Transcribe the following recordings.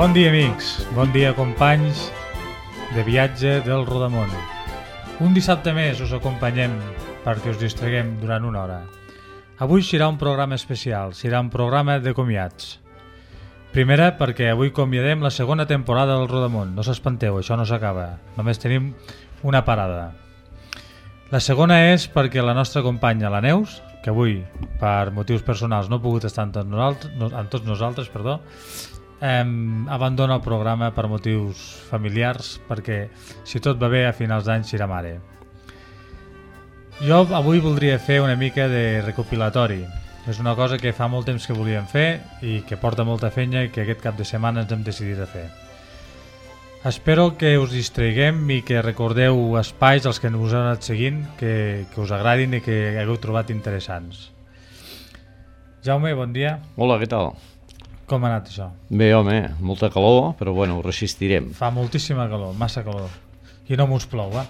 Bon dia, amics. Bon dia, companys de viatge del Rodamón. Un dissabte més us acompanyem perquè us distraguem durant una hora. Avui serà un programa especial, serà un programa de comiats. Primera, perquè avui comiadem la segona temporada del Rodamón. No s'espanteu, això no s'acaba. Només tenim una parada. La segona és perquè la nostra companya, la Neus, que avui, per motius personals, no ha pogut estar amb tots nosaltres, abandona el programa per motius familiars, perquè si tot va bé a finals d'any serà mare. Jo avui voldria fer una mica de recopilatori. És una cosa que fa molt temps que volíem fer i que porta molta feina i que aquest cap de setmana ens hem decidit a fer. Espero que us distraiguem i que recordeu espais als que us heu anat seguint, que us agradin i que hagueu trobat interessants. Jaume, bon dia. Hola, què tal? Com ha anat això? Bé, home, molta calor, però bueno, ho resistirem. Fa moltíssima calor, massa calor. I no mos plou, eh?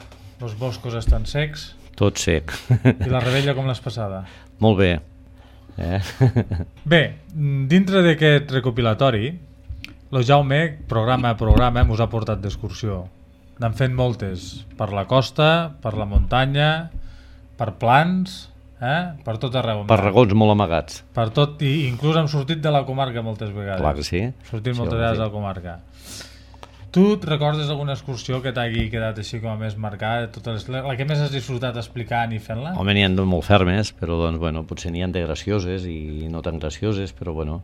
Els boscos estan secs. Tot sec. I la rebella com l'has passada? Molt bé. Bé, dintre d'aquest recopilatori, el Jaume, programa a programa, mos ha portat d'excursió. N'han fet moltes, per la costa, per la muntanya, per plans, per tot arreu. Per racons molt amagats. Per tot, i inclús hem sortit de la comarca moltes vegades. Clar que sí. Sortim moltes vegades de la comarca. Tu et recordes alguna excursió que t'hagi quedat així com a més marcada? La que més has disfrutat explicant i fent-la? Home, n'hi ha de molt fermes, però doncs, bueno, potser n'hi ha de gracioses i no tan gracioses, però bueno.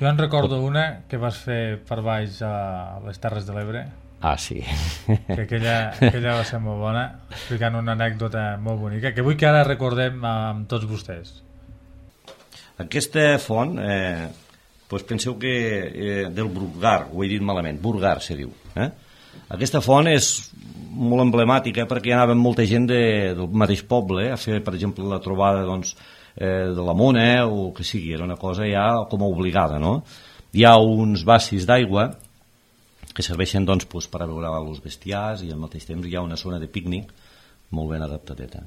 Jo en recordo una que vas fer per baix a les Terres de l'Ebre. Ah, sí. Que aquella va ser molt bona, explicant una anècdota molt bonica, que vull que ara recordem amb tots vostès. Aquesta font, doncs penseu que del Burgar, ho he dit malament, Burgar se diu. Aquesta font és molt emblemàtica perquè hi anava molta gent del mateix poble a fer, per exemple, la trobada de la mona o que sigui, era una cosa ja com a obligada, no? Hi ha uns bassis d'aigua que serveixen per a beure els bestiars i al mateix temps hi ha una zona de pícnic molt ben adaptadeta.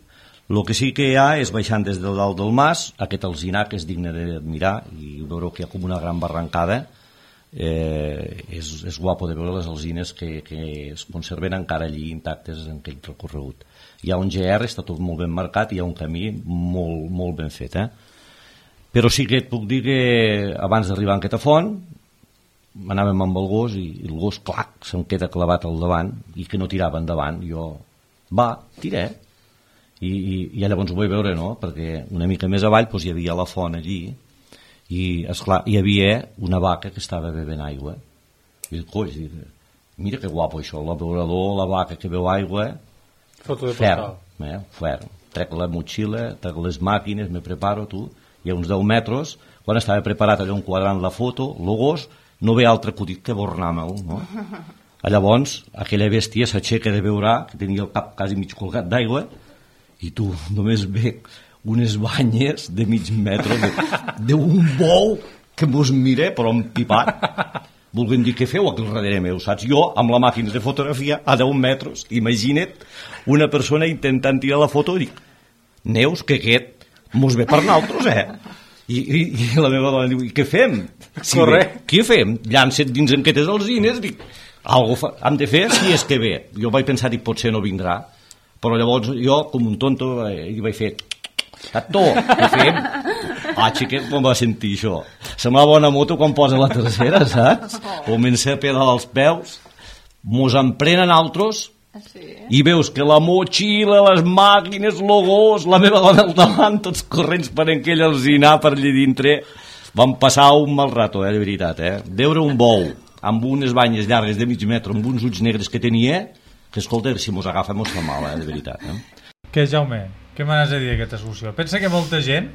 El que sí que hi ha és, baixant des del dalt del mas, aquest alzinar que és digne d'admirar i veureu que hi ha com una gran barrancada. És guapo de veure les alzines que es conserven encara allí intactes en aquell recorregut. Hi ha un GR, està tot molt ben marcat, i hi ha un camí molt, molt ben fet. Però sí que et puc dir que abans d'arribar a aquesta font anàvem amb el gos i el gos, clac, se'm queda clavat al davant i que no tirava endavant. Jo, tiré. I llavors ho vaig veure, no? Perquè una mica més avall hi havia la font allí i, esclar, hi havia una vaca que estava bevent aigua. I coi, mira que guapo això, l'abeurador, la vaca que beu aigua. Foto de postal. Ferm. Trec la motxilla, trec les màquines, me preparo, hi ha uns 10 metres, quan estava preparat allò enquadrant la foto, el gos no ve altre acudit que bornar-me'l, no? Llavors, aquella bèstia s'aixeca de veure, que tenia el cap quasi mig colgat d'aigua, i tu només ve unes banyes de mig metre d'un bou que mos mira, però empipat. Volguem dir, què feu aquí al darrere meu, saps? Jo, amb la màquina de fotografia, a 10 metres, imagina't una persona intentant tirar la foto i dic, Neus, que aquest mos ve per nosaltres, I la meva dona diu, i què fem? Què fem? Llança't dins aquestes alzines, dic, hem de fer si és que ve. Jo vaig pensar, potser no vindrà, però llavors jo, com un tonto, hi vaig fer, Tato, què fem? Xiquet, com va sentir això? Semblava una moto quan posa la tercera, saps? Comença a pedalar els peus, mos emprenen altres, i veus que la motxilla, les màquines, el gos, la meva dona al davant, tots corrents per aquell alzinar per allà dintre. Vam passar un mal rato, de veritat, Veure un bou amb unes banyes llargues de mig metre, amb uns ulls negres que tenia, que escolta, si mos agafa mos fa mal, de veritat. Què, Jaume? Què m'has de dir d'aquesta excursió? Pensa que molta gent,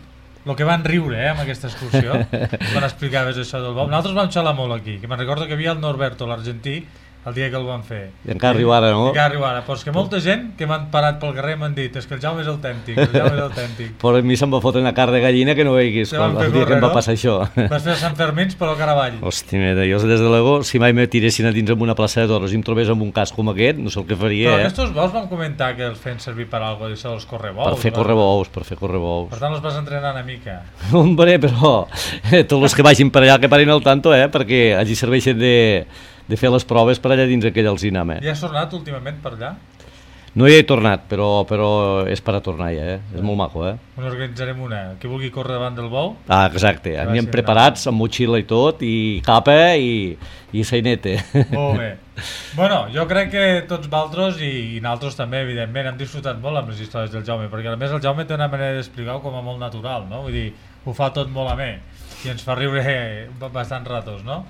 el que van riure amb aquesta excursió, quan explicaves això del bou, nosaltres vam xalar molt aquí, que me'n recordo que hi havia el Norberto, l'argentí, el dia que el van fer. I encara arriba ara, no? Encara arriba ara, però és que molta gent que m'han parat pel carrer m'han dit és que el Jaume és autèntic, el Jaume és autèntic. Però a mi se'm va fotre una carn de gallina que no veiguis el dia que em va passar això. Vas fer Sant Fermins per al Caravall. Hosti, mira, jo des de l'ego, si mai me tiressin a dins amb una plaça de toros i em trobés amb un cas com aquest, no sé el que faria, Però aquests bous van comentar que els feien servir per alguna cosa, els correbous. Per fer correbous, per fer correbous. Per tant, els vas entrenar una mica. Hombre, però tots els que vagin per allà que parin al tanto, perquè allí serveixen de fer les proves per allà dins aquell alzinam. Ja has tornat últimament per allà? No hi he tornat, però és per a tornar ja, és molt maco, Organitzarem una, qui vulgui córrer davant del bou. Ah, exacte, anem preparats, amb motxilla i tot, i capa i sainete. Molt bé. Bueno, jo crec que tots vosaltres i nosaltres també, evidentment, hem disfrutat molt amb les històries del Jaume, perquè a més el Jaume té una manera d'explicar-ho com a molt natural, no? Vull dir, ho fa tot molt amè i ens fa riure bastants ratos, no?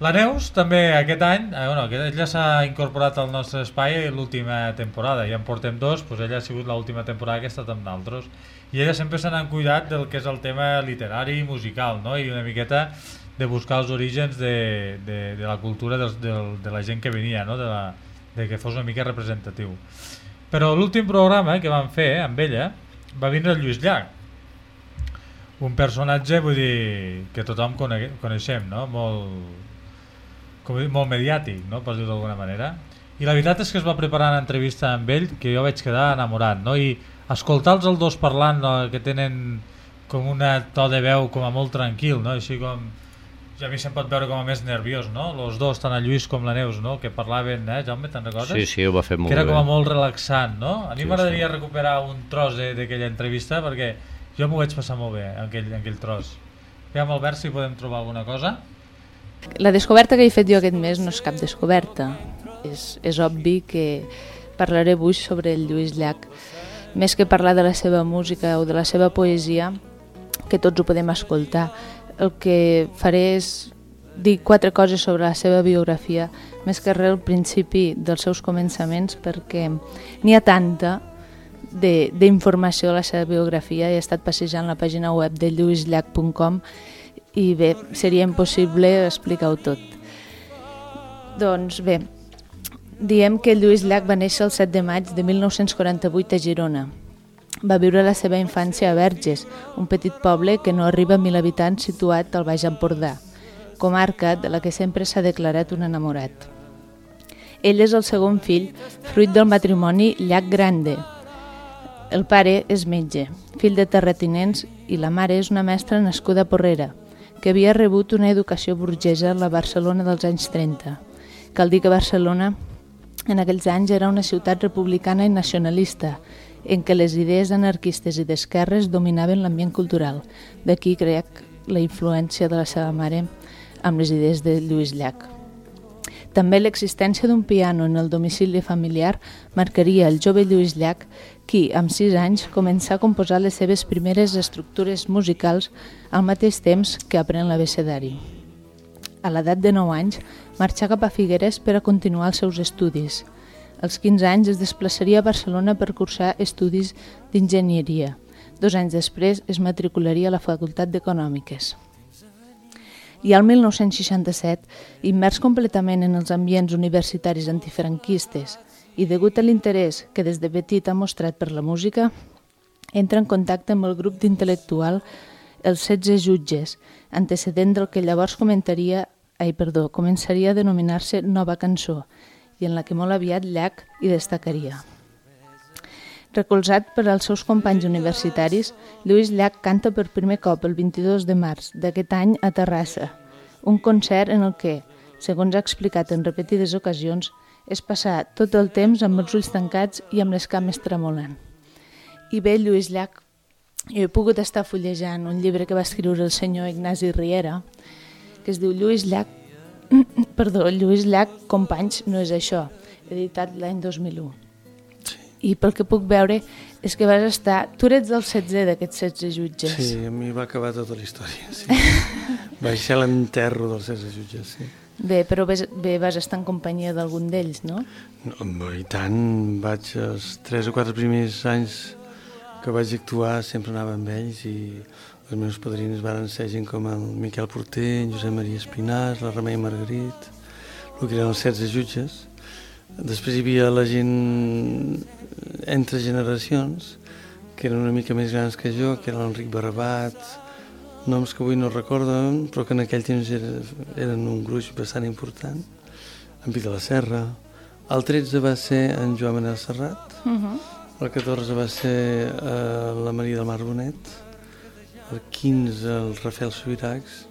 La Neus també aquest any, ella s'ha incorporat al nostre espai l'última temporada, ja en portem 2, doncs ella ha sigut l'última temporada que ha estat amb nosaltres i ella sempre se n'ha cuidat del que és el tema literari i musical, no? I una miqueta de buscar els orígens de la cultura de la gent que venia, no? De que fos una mica representatiu. Però l'últim programa que vam fer amb ella va vindre el Lluís Llach, un personatge, vull dir, que tothom coneixem, no? Molt mediàtic, no? Per dir-ho d'alguna manera. I la veritat és que es va preparar una entrevista amb ell que jo vaig quedar enamorat, no? I escoltar-los els dos parlant, no? Que tenen com una to de veu com a molt tranquil, no? Així com... Ja a mi se'm pot veure com a més nerviós, no? Los dos, tant el Lluís com la Neus, no? Que parlaven, Jaume, te'n recordes? Sí, ho va fer molt bé. Que era com a molt relaxant, no? A mi m'agradaria recuperar un tros d'aquella entrevista perquè jo m'ho vaig passar molt bé en aquell tros. Aviam, Albert, si podem trobar alguna cosa. La descoberta que he fet jo aquest mes no és cap descoberta. És obvi que parlaré avui sobre el Lluís Llach. Més que parlar de la seva música o de la seva poesia, que tots ho podem escoltar, el que faré és dir 4 coses sobre la seva biografia, més que res al principi dels seus començaments, perquè n'hi ha tanta d'informació de la seva biografia. He estat passejant la pàgina web de lluisllach.com i bé, seria impossible explicar-ho tot. Doncs bé, diem que Lluís Llach va néixer el 7 de maig de 1948 a Girona. Va viure la seva infància a Verges, un petit poble que no arriba a 1.000 habitants situat al Baix Empordà, comarca de la que sempre s'ha declarat un enamorat. Ell és el segon fill, fruit del matrimoni Llach Grande. El pare és metge, fill de terratinents, i la mare és una mestra nascuda a Porrera, que havia rebut una educació burgesa a la Barcelona dels anys 30. Cal dir que Barcelona en aquells anys era una ciutat republicana i nacionalista, en què les idees anarquistes i d'esquerres dominaven l'ambient cultural. D'aquí crec la influència de la seva mare amb les idees de Lluís Llach. També l'existència d'un piano en el domicili familiar marcaria el jove Lluís Llach, qui, amb 6 anys, començà a composar les seves primeres estructures musicals al mateix temps que aprèn l'abecedari. A l'edat de 9 anys, marxà cap a Figueres per a continuar els seus estudis. Als 15 anys es desplaçaria a Barcelona per cursar estudis d'enginyeria. 2 anys després es matricularia a la Facultat d'Econòmiques. I al 1967, immers completament en els ambients universitaris antifranquistes i degut a l'interès que des de petit ha mostrat per la música, entra en contacte amb el grup d'intel·lectual Els 16 Jutges, antecedent del que llavors començaria a denominar-se Nova Cançó, i en la que molt aviat Llach hi destacaria. Recolzat per als seus companys universitaris, Lluís Llach canta per primer cop el 22 de març d'aquest any a Terrassa, un concert en el que, segons ha explicat en repetides ocasions, és passar tot el temps amb els ulls tancats i amb les cames tremolant. I bé, Lluís Llach, jo he pogut estar fullejant un llibre que va escriure el senyor Ignasi Riera, que es diu Lluís Llach, Companys no és això, editat l'any 2001. I pel que puc veure és que vas estar... Tu eres del 16 d'aquests 16 jutges. Sí, a mi va acabar tota la història. Sí. Vaig ser l'enterro dels 16 jutges, sí. Bé, però vas estar en companyia d'algun d'ells, no? No, i tant, els 3 o 4 primers anys que vaig actuar sempre anava amb ells i els meus padrins van ser gent com el Miquel Porter, en Josep Maria Espinàs, la Remei Margarit, el que eren els 16 jutges. Després hi havia la gent entre generacions, que eren una mica més grans que jo, que era l'Enric Barbat, noms que avui no recorden, però que en aquell temps eren un gruix bastant important, en Pi de la Serra. El 13 va ser en Joan Manel Serrat, el 14 va ser la Maria del Mar Bonet, el 15 el Rafael Subiracs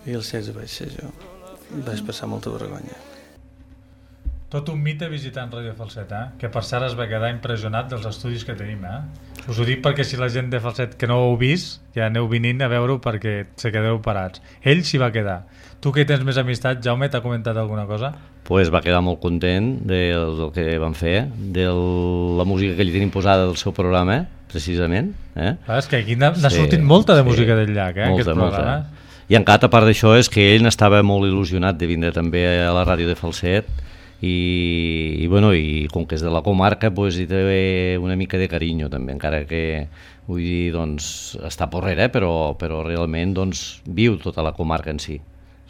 i el 16 vaig ser jo. Vaig passar molta vergonya. Tot un mite visitant Ràdio Falset, que per cert es va quedar impressionat dels estudis que tenim. Us ho dic perquè si la gent de Falset que no ho heu vist, ja aneu venint a veure-ho perquè se quedeu parats. Ell s'hi va quedar. Tu que tens més amistat, Jaume, t'ha comentat alguna cosa? Pues va quedar molt content del que van fer, de la música que li tenim posada del seu programa, precisament. És que aquí n'ha sortit molta de música del llac, aquest programa. I encara, a part d'això, és que ell n'estava molt il·lusionat de vindre també a la ràdio de Falset i com que és de la comarca pues, hi té una mica de carinyo també, encara que vull dir, doncs, està porrera, però realment doncs, viu tota la comarca en si.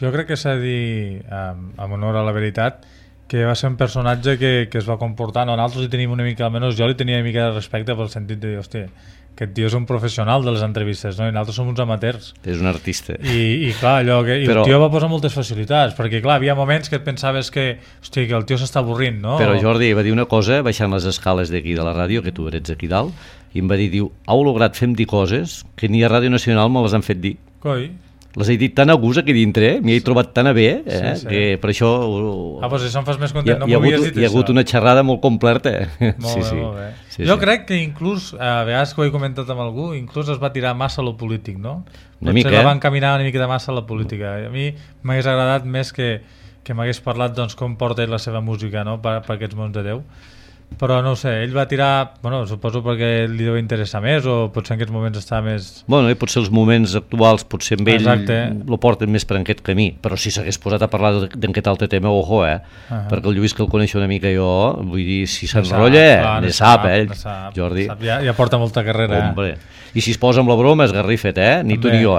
Jo crec que s'ha de dir, amb honor a la veritat, que va ser un personatge que es va comportar, nosaltres li tenim una mica, almenys jo li tenia una mica de respecte pel sentit de dir, hòstia, aquest tio és un professional de les entrevistes, no? I nosaltres som uns amateurs. És un artista. I clar, allò que el tio va posar moltes facilitats, perquè clar, havia moments que et pensaves que el tio s'està avorrint, no? Però Jordi va dir una cosa, baixant les escales d'aquí de la ràdio, que tu eres aquí dalt, i em va dir, heu lograt fer-me dir coses que ni a Ràdio Nacional me les han fet dir. Coi. Les he dit tan a gust aquí dintre, m'hi he trobat tan a bé, que per això... Pues això em fas més content, no m'ho havies dit això. Hi ha hagut una xerrada molt completa. Molt bé. Jo crec que inclús, a vegades que ho he comentat amb algú, inclús es va tirar massa a lo polític, no? Una mica, la van caminar una mica de massa a la política. A mi m'hagués agradat més que m'hagués parlat doncs, com porta la seva música, no? per aquests mons de Déu. Però no ho sé, ell va tirar, suposo perquè li deu interessar més o potser en aquests moments està més... I potser els moments actuals potser amb ell lo porten més per aquest camí, però si s'hagués posat a parlar d'aquest altre tema, ojo, perquè el Lluís, que el coneixo una mica jo, vull dir, si s'enrotlla, ne sap, Jordi. Ja porta molta carrera. Hombre. I si es posa amb la broma, esgarrifet, ni tu ni jo,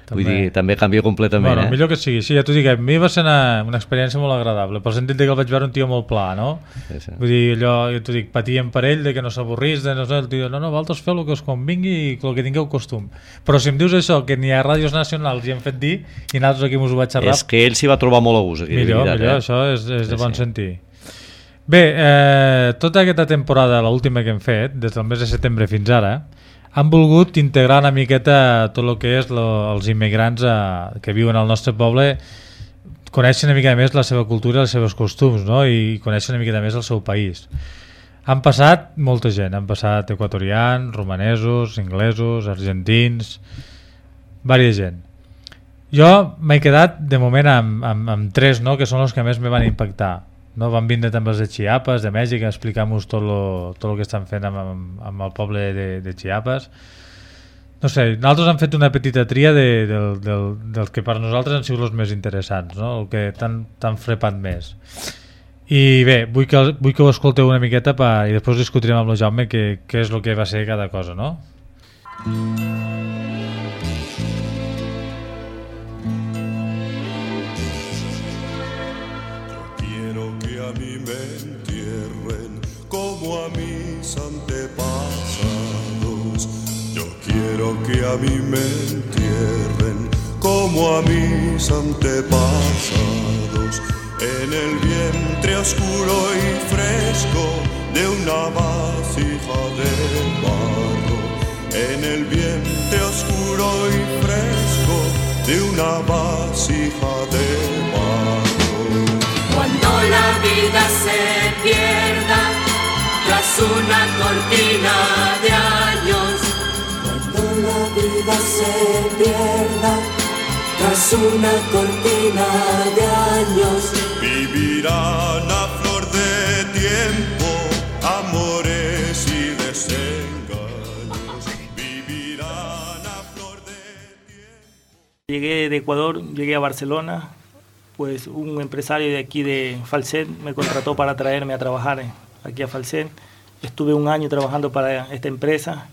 Vull dir, també canvia completament. Millor que sigui, sí, ja t'ho dic, a mi va ser una experiència molt agradable, pel sentit que el vaig veure un tio molt pla, no? Sí. Vull dir, allò, jo t'ho dic, patíem per ell, de que no s'avorrís, el tio, vosaltres feu el que us convingui i el que tingueu costum. Però si em dius això, que ni a ràdios nacionals hi hem fet dir, i nosaltres aquí mos ho vaig xerrar... És que ell s'hi va trobar molt a gust, aquí. Millor, això és de bon sentir. Bé, tota aquesta temporada, l'última que hem fet, des del mes de setembre fins ara, han volgut integrar una miqueta tot el que és els immigrants que viuen al nostre poble, coneixen una mica més la seva cultura i els seus costums, no? I coneixen una miqueta més el seu país. Han passat molta gent, han passat equatorians, romanesos, inglesos, argentins, diversa gent. Jo m'he quedat de moment amb 3, no? Que són els que més me van impactar. No? Van vindre també els de Chiapas, de Mèxic, a explicar-nos tot el que estan fent amb el poble de Chiapas. No sé, nosaltres hem fet una petita tria dels que per nosaltres han sigut els més interessants, no? El que t'han frepat més. I bé, vull que ho escolteu una miqueta i després discutirem amb el Jaume què és el que va ser cada cosa, no? Como a mis antepasados, yo quiero que a mí me entierren como a mis antepasados, en el vientre oscuro y fresco de una vasija de barro, en el vientre oscuro y fresco de una vasija de barro. Cuando la vida se pierda tras una cortina de años, cuando la vida se pierda tras una cortina de años, vivirán a flor de tiempo amores y desengaños, vivirán a flor de tiempo. Llegué de Ecuador, llegué a Barcelona, pues un empresario de aquí de Falset me contrató para traerme a trabajar aquí a Falset. Estuve un año trabajando para esta empresa,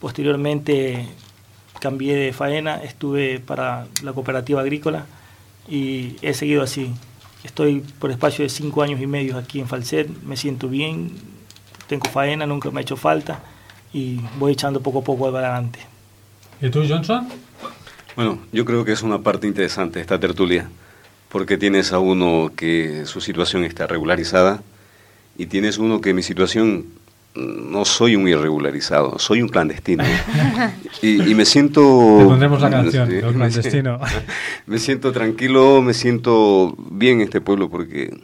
posteriormente cambié de faena, estuve para la cooperativa agrícola y he seguido así. Estoy por espacio de 5 años y medio aquí en Falset, me siento bien, tengo faena, nunca me ha hecho falta y voy echando poco a poco adelante. ¿Y tú, Johnson? Bueno, yo creo que es una parte interesante esta tertulia, porque tienes a uno que su situación está regularizada y tienes uno que mi situación, no soy un irregularizado, soy un clandestino. y me siento... Te pondremos la canción, sí, el clandestino. Me siento tranquilo, me siento bien en este pueblo porque,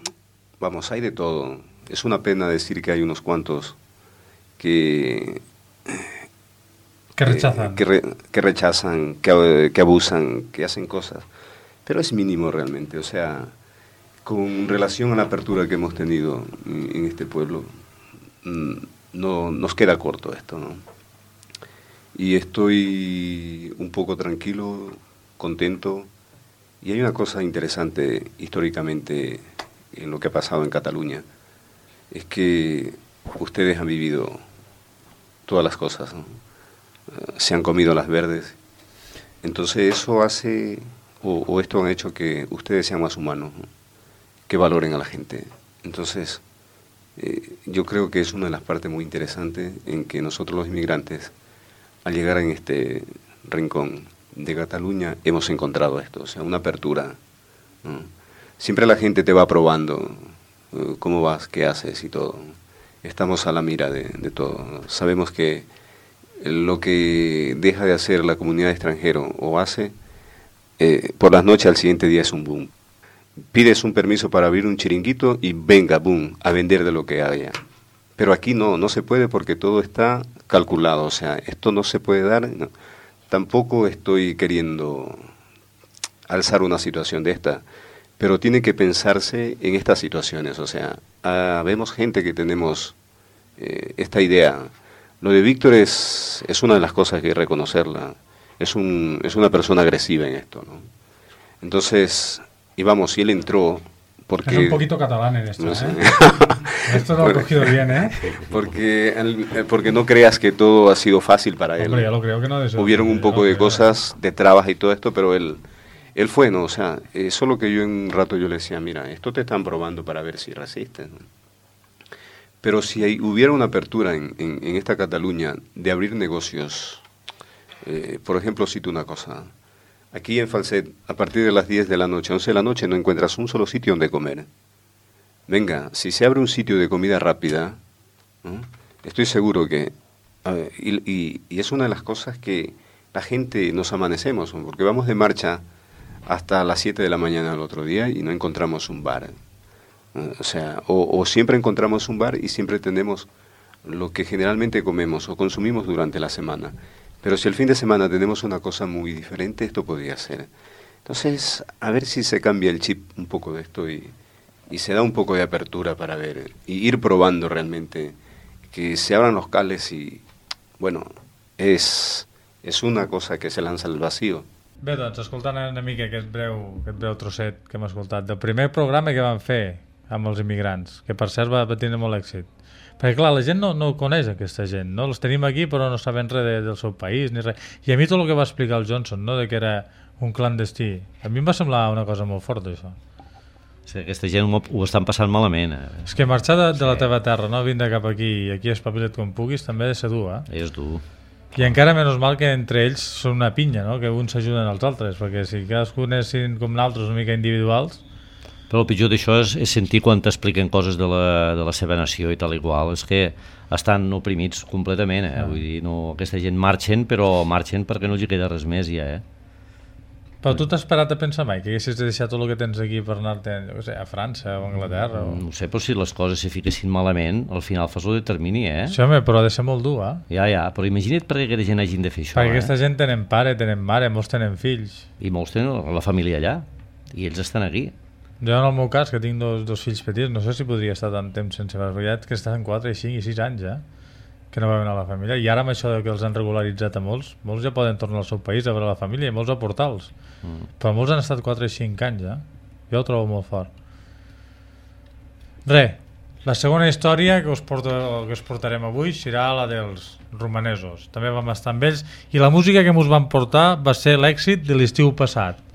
vamos, hay de todo. Es una pena decir que hay unos cuantos que rechazan, que rechazan, que abusan, que hacen cosas. Pero es mínimo realmente, o sea, con relación a la apertura que hemos tenido en este pueblo, no nos queda corto esto, ¿no? Y estoy un poco tranquilo, contento, y hay una cosa interesante históricamente en lo que ha pasado en Cataluña, es que ustedes han vivido todas las cosas, ¿no? Se han comido las verdes, entonces eso hace, o esto han hecho que ustedes sean más humanos, ¿no? Que valoren a la gente. Entonces, yo creo que es una de las partes muy interesantes en que nosotros los inmigrantes, al llegar en este rincón de Cataluña, hemos encontrado esto, o sea, una apertura, ¿no? Siempre la gente te va probando cómo vas, qué haces y todo. Estamos a la mira de todo. Sabemos que lo que deja de hacer la comunidad extranjera o hace, por las noches al siguiente día es un boom. Pides un permiso para abrir un chiringuito y venga, boom, a vender de lo que haya. Pero aquí no se puede porque todo está calculado, o sea, esto no se puede dar. No. Tampoco estoy queriendo alzar una situación de esta, pero tiene que pensarse en estas situaciones, o sea, vemos gente que tenemos esta idea. Lo de Víctor es una de las cosas que hay que reconocerla, es una persona agresiva en esto, ¿no? Entonces, y vamos, si él entró... Porque, es un poquito catalán en esto, no sé. Esto lo ha cogido bien, ¿eh? Porque no creas que todo ha sido fácil para él. Hombre, ya lo creo que no. Hubieron un poco de cosas, de trabas y todo esto, pero él fue, ¿no? O sea, solo que yo en un rato yo le decía, mira, esto te están probando para ver si resistes, ¿no? Pero si hubiera una apertura en esta Cataluña de abrir negocios, por ejemplo, cito una cosa. Aquí en Falset, a partir de las 10 de la noche, 11 de la noche, no encuentras un solo sitio donde comer. Venga, si se abre un sitio de comida rápida, ¿no? Estoy seguro que... y es una de las cosas que la gente nos amanecemos, ¿no? Porque vamos de marcha hasta las 7 de la mañana al otro día y no encontramos un bar. O sea, o siempre encontramos un bar y siempre tenemos lo que generalmente comemos o consumimos durante la semana. Pero si el fin de semana tenemos una cosa muy diferente, esto podría ser. Entonces, a ver si se cambia el chip un poco de esto y se da un poco de apertura para ver y ir probando realmente, que se abran los cales y, bueno, es una cosa que se lanza al vacío. Bé, doncs, escoltant una mica aquest breu trosset que hem escoltat del primer programa que vam fer amb els immigrants, que per cert va tenir molt èxit. Perquè clar, la gent no coneix aquesta gent, no? Els tenim aquí però no sabem res del seu país ni res. I a mi tot el que va explicar el Johnson, no? De que era un clandestí, a mi em va semblar una cosa molt forta, això. Sí, aquesta gent ho estan passant malament. És que marxar de la teva terra, no? Vindre cap aquí i aquí espavila't com puguis, també ha de ser dur, eh? És dur. I encara menys mal que entre ells són una pinya, no? Que uns s'ajuden als altres, perquè si cadascú anessin com nosaltres una mica individuals... Però el pitjor d'això és sentir quan t'expliquen coses de la seva nació i tal i qual, és que estan oprimits completament, eh? Vull dir, no, aquesta gent marxen, però marxen perquè no els hi queda res més ja, eh? Però tu t'has parat a pensar mai que haguessis de deixar tot el que tens aquí per anar-te'n, no sé, a França o a Anglaterra? O... No sé, però si les coses se fiquessin malament, al final fas el determini, eh? Sí, home, però ha de ser molt dur, eh? Ja, però imagina't perquè aquesta gent hagin de fer això, perquè aquesta gent tenen pare, tenen mare, molts tenen fills. I molts tenen la família allà, i ells estan aquí. Jo en el meu cas, que tinc dos fills petits, no sé si podria estar tant temps sense veure, que estan 4, 5 i 6 anys, que no veuen a la família. I ara amb això que els han regularitzat a molts ja poden tornar al seu país a veure la família, i molts a portals. Però molts han estat 4 i 5 anys, Jo ho trobo molt fort. La segona història que us portarem avui serà la dels romanesos. També vam estar amb ells, i la música que ens van portar va ser l'èxit de l'estiu passat.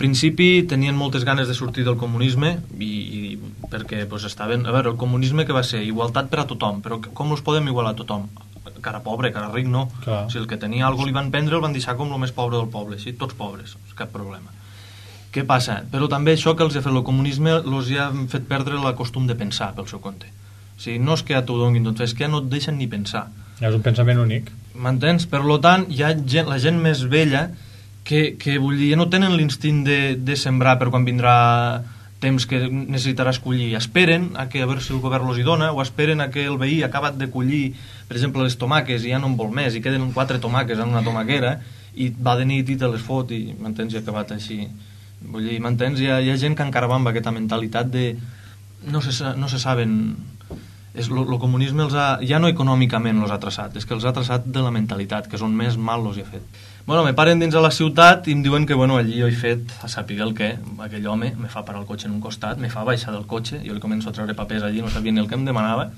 principi tenien moltes ganes de sortir del comunisme i perquè pues, estaven... A veure, el comunisme que va ser? Igualtat per a tothom, però com els podem igualar a tothom? Cara pobre, cara ric, no. Si el que tenia alguna cosa li van prendre el van deixar com el més pobre del poble, així, tots pobres, cap problema. Què passa? Però també això que els ha fet el comunisme els ha fet perdre la costum de pensar pel seu compte. O sigui, no és que ja t'ho donin tot, és que ja no et deixen ni pensar. És un pensament únic. M'entens? Per tant, hi ha la gent més vella que vull dir, no tenen l'instint de sembrar per quan vindrà temps que necessitaràs collir. Esperen a veure si el govern els hi dona, o esperen a que el veí ha acabat de collir, per exemple, les tomaques i ja no en vol més, i queden 4 tomaques en una tomaquera, i va de nit i te les fot, i m'entens, i ha acabat així. Vull dir, m'entens? Hi ha gent que encara va amb aquesta mentalitat de... No se saben... El comunisme ja no econòmicament els ha traçat, és que els ha traçat de la mentalitat, que és on més mal els hi ha fet. Bueno, me paren dins a la ciutat i em diuen que allí jo he fet, a saber el què, aquell home me fa parar el cotxe en un costat, me fa baixar del cotxe, jo li començo a treure papers allí, no sabia ni el que em demanava,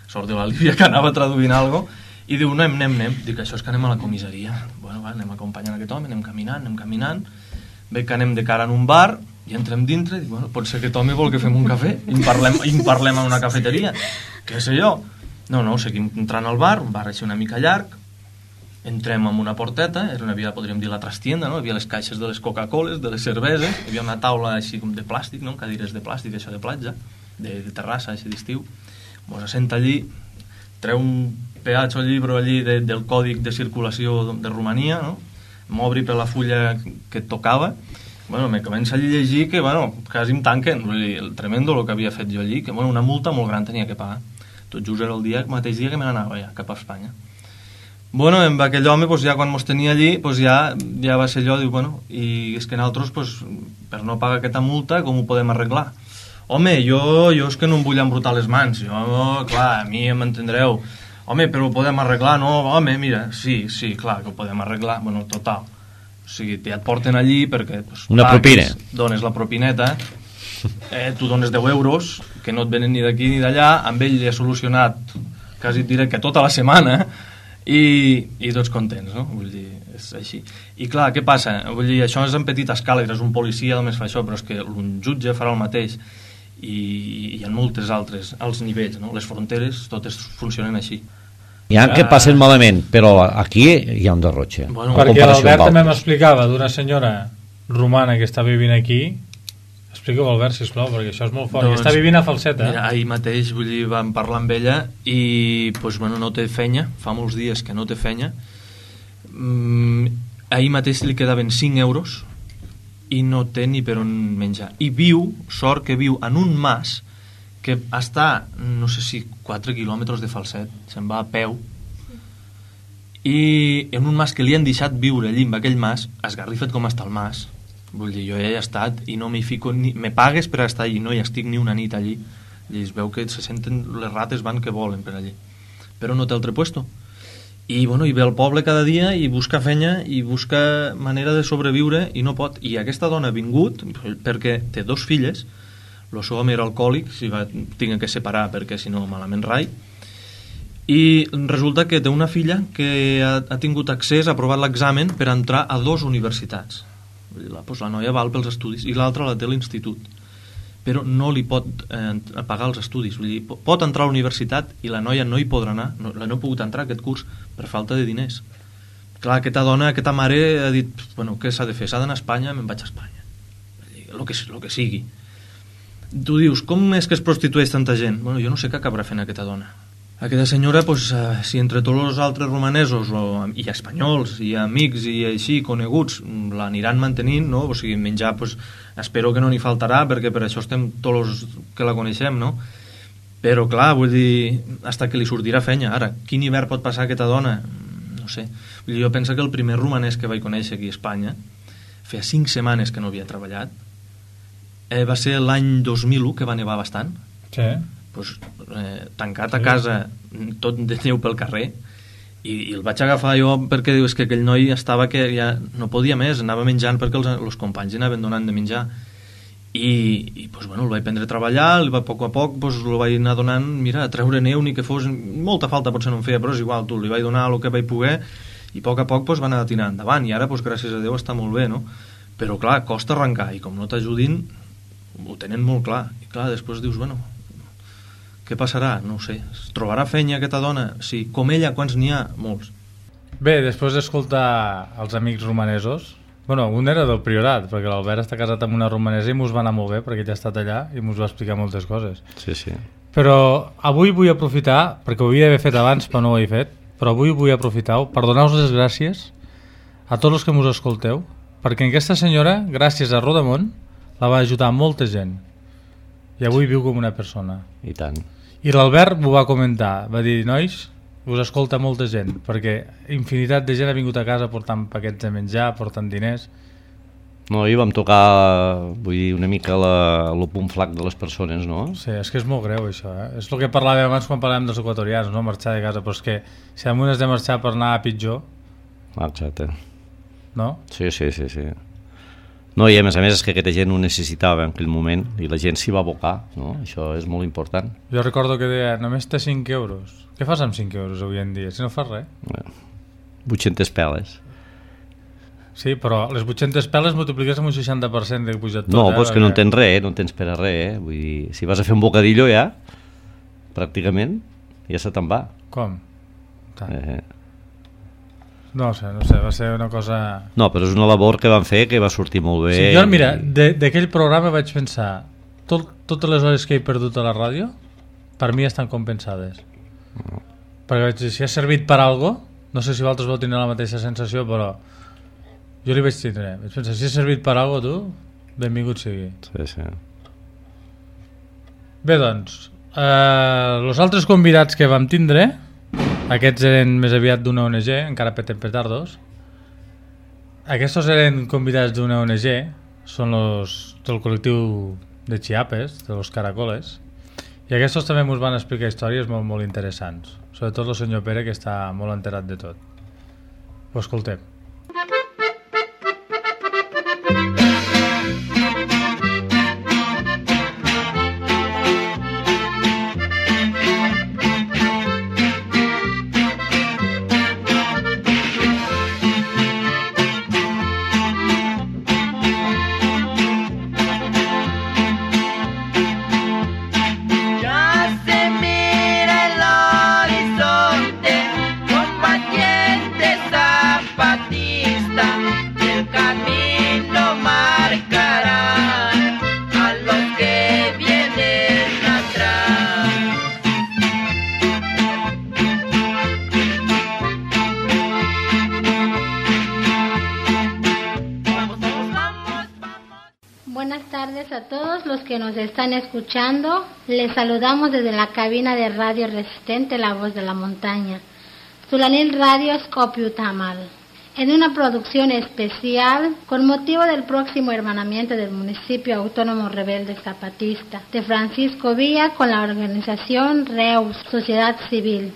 sort de l'Alívia que anava traduint alguna cosa, i diu, anem, dic, això és que anem a la comissaria. Bueno, va, anem acompanyant aquest home, anem caminant, veig que anem de cara en un bar, i entrem dintre, i dic, bueno, pot ser que aquest home vol que fem un cafè, i en parlem en una cafeteria, què sé jo. No, seguim entrant al bar, un bar així una mica llarg, entrem en una porteta, era una via, podríem dir, la trastienda, no? Hi havia les caixes de les Coca-Coles, de les cerveses, hi havia una taula així com de plàstic, no? Cadires de plàstic, això de platja, de terrassa, així d'estiu. Mos assenta allí, treu un peatge o llibre allí del còdic de circulació de Romania, no? M'obri per la fulla que tocava, bueno, me comença a llegir que, bueno, quasi em tanquen, vull dir, el tremendo el que havia fet jo allí, que, bueno, una multa molt gran tenia que pagar. Tot just era el mateix dia que me n'anava ja, cap a Espanya. Bueno, amb aquell home, pues, ja quan mos tenia allí, pues, ja va ser allò, diu, bueno, i és que nosaltres, pues, per no pagar aquesta multa, com ho podem arreglar? Home, jo és que no em vull embrutar les mans, jo, clar, a mi m'entendreu. Home, però ho podem arreglar, no? Home, mira, sí, clar, que ho podem arreglar. Bueno, total. O sigui, ja et porten allí perquè... Pues, una propina. Dones la propineta, tu dones 10 euros, que no et venen ni d'aquí ni d'allà, amb ell li ha solucionat, quasi et diré que tota la setmana, i tots contents, no? Vull dir, és així. I clar, què passa? Vull dir, això és en petita escala, és un policia només fa això, però és que un jutge farà el mateix, i hi ha moltes altres, als nivells, no? Les fronteres totes funcionen així. Hi ha que passen malament, però aquí hi ha un derrotxe. Bueno, perquè l'Albert també m'explicava d'una senyora romana que està vivint aquí. Explica-ho, Albert, sisplau, perquè això és molt fort. Doncs, està vivint a Falseta. Mira, ahir mateix, vull dir, vam parlar amb ella i, pues, bueno, no té feina, fa molts dies que no té feina. Ahir mateix li quedaven 5 euros i no té ni per on menjar. I viu, sort que viu en un mas que està, no sé si 4 quilòmetres de Falset, se'n va a peu, i en un mas que li han deixat viure allí, en aquell mas, esgarrifat com està el mas, vull dir, jo ja he estat i no m'hi fico, me pagues per estar allí, no hi estic ni una nit allí, i es veu que se senten, les rates van que volen per allí, però no té altre puesto. I, bueno, i ve al poble cada dia i busca feina i busca manera de sobreviure i no pot. I aquesta dona ha vingut perquè té 2 filles, el seu home era alcohòlic, si va tinc que separar perquè si no malament rai, i resulta que té una filla que ha tingut accés, ha aprovat l'examen per entrar a 2 universitats. Pues la noia val pels estudis i l'altra la té a l'institut, però no li pot pagar els estudis. Vull dir, pot entrar a la universitat i la noia no hi podrà anar, no ha pogut entrar a aquest curs per falta de diners. Clar, aquesta dona, aquesta mare ha dit, bueno, què s'ha de fer? S'ha d'anar a Espanya? Me'n vaig a Espanya. El que sigui. Tu dius, com és que es prostitueix tanta gent? Bueno, jo no sé què acabarà fent aquesta dona. Aquesta senyora, pues, si entre tots els altres romanesos i espanyols i amics i així coneguts l'aniran mantenint, no? O sigui, menjar, pues, espero que no n'hi faltarà perquè per això estem tots els que la coneixem, no? Però clar, vull dir, hasta que li sortirà feina. Ara, quin hivern pot passar aquesta dona? No sé. Vull dir, jo penso que el primer romanès que vaig conèixer aquí a Espanya feia 5 setmanes que no havia treballat. Va ser l'any 2001, que va nevar bastant. Sí. Pues, tancat a casa, tot de neu pel carrer, i el vaig agafar jo perquè dius que aquell noi estava que ja no podia més, anava menjant perquè els companys anaven donant de menjar, i pues, bueno, el vaig prendre a treballar, a poc a poc pues, el vaig anar donant, mira, a treure neu, ni que fos molta falta, potser no em feia, però és igual, li vaig donar el que vaig poder, i a poc pues, va anar tirant endavant, i ara, pues, gràcies a Déu, està molt bé, no? però clar, costa arrencar, i com no t'ajudin ho tenen molt clar, i clar, després dius, bueno, què passarà? No ho sé, es trobarà feina aquesta dona? Sí, com ella, quants n'hi ha? Molts. Bé, després d'escoltar els amics romanesos, bueno, un era del Priorat, perquè l'Albert està casat amb una romanesa i mos va anar molt bé, perquè ell ha estat allà i mos va explicar moltes coses. Sí, sí. Però avui vull aprofitar, perquè ho havia d'haver fet abans, però no ho he fet, però avui vull aprofitar per donar-vos les gràcies a tots els que mos escolteu, perquè aquesta senyora, gràcies a Rodamont, la va ajudar molta gent. I avui viu com una persona. I tant. I l'Albert m'ho va comentar, va dir, nois, us escolta molta gent, perquè infinitat de gent ha vingut a casa portant paquets de menjar, portant diners. No, i vam tocar, vull dir, una mica el punt flac de les persones, no? Sí, és que és molt greu això, És el que parlàvem abans quan parlàvem dels equatorians, no? Marxar de casa, però és que si algun has de marxar per anar a pitjor... Exacte. No? Sí. No, i a més és que aquesta gent ho necessitava en aquell moment i la gent s'hi va abocar, no? Això és molt important. Jo recordo que deia, només té 5 euros. Què fas amb 5 euros avui en dia? Si no fas res. 800 peles. Sí, però les 800 peles multipliques amb un 60% de pujat tot. No, però és que no en tens res, no en tens per a res. Vull dir, si vas a fer un bocadillo ja, pràcticament, ja se te'n va. Com? No sé, va ser una cosa... No, però és una labor que van fer que va sortir molt bé. Sí, jo, mira, d'aquell programa vaig pensar totes les hores que he perdut a la ràdio per mi estan compensades. Perquè vaig dir, si ha servit per algo, no sé si vosaltres vau tenir la mateixa sensació, però jo li vaig tindre. Vaig pensar, si ha servit per algo, tu, benvingut sigui. Sí. Bé, doncs, els altres convidats que vam tindre, aquests eren més aviat d'una ONG, encara peten petardos. Aquests eren convidats d'una ONG, són del col·lectiu de Chiapes, de los Caracoles, i aquests també ens van explicar històries molt, molt interessants, sobretot el senyor Pere, que està molt enterat de tot. Ho escoltem. Están escuchando, les saludamos desde la cabina de Radio Resistente La Voz de la Montaña, Sulanil Radio Skopiutamal, en una producción especial con motivo del próximo hermanamiento del municipio autónomo rebelde zapatista de Francisco Villa con la organización Reus, Sociedad Civil.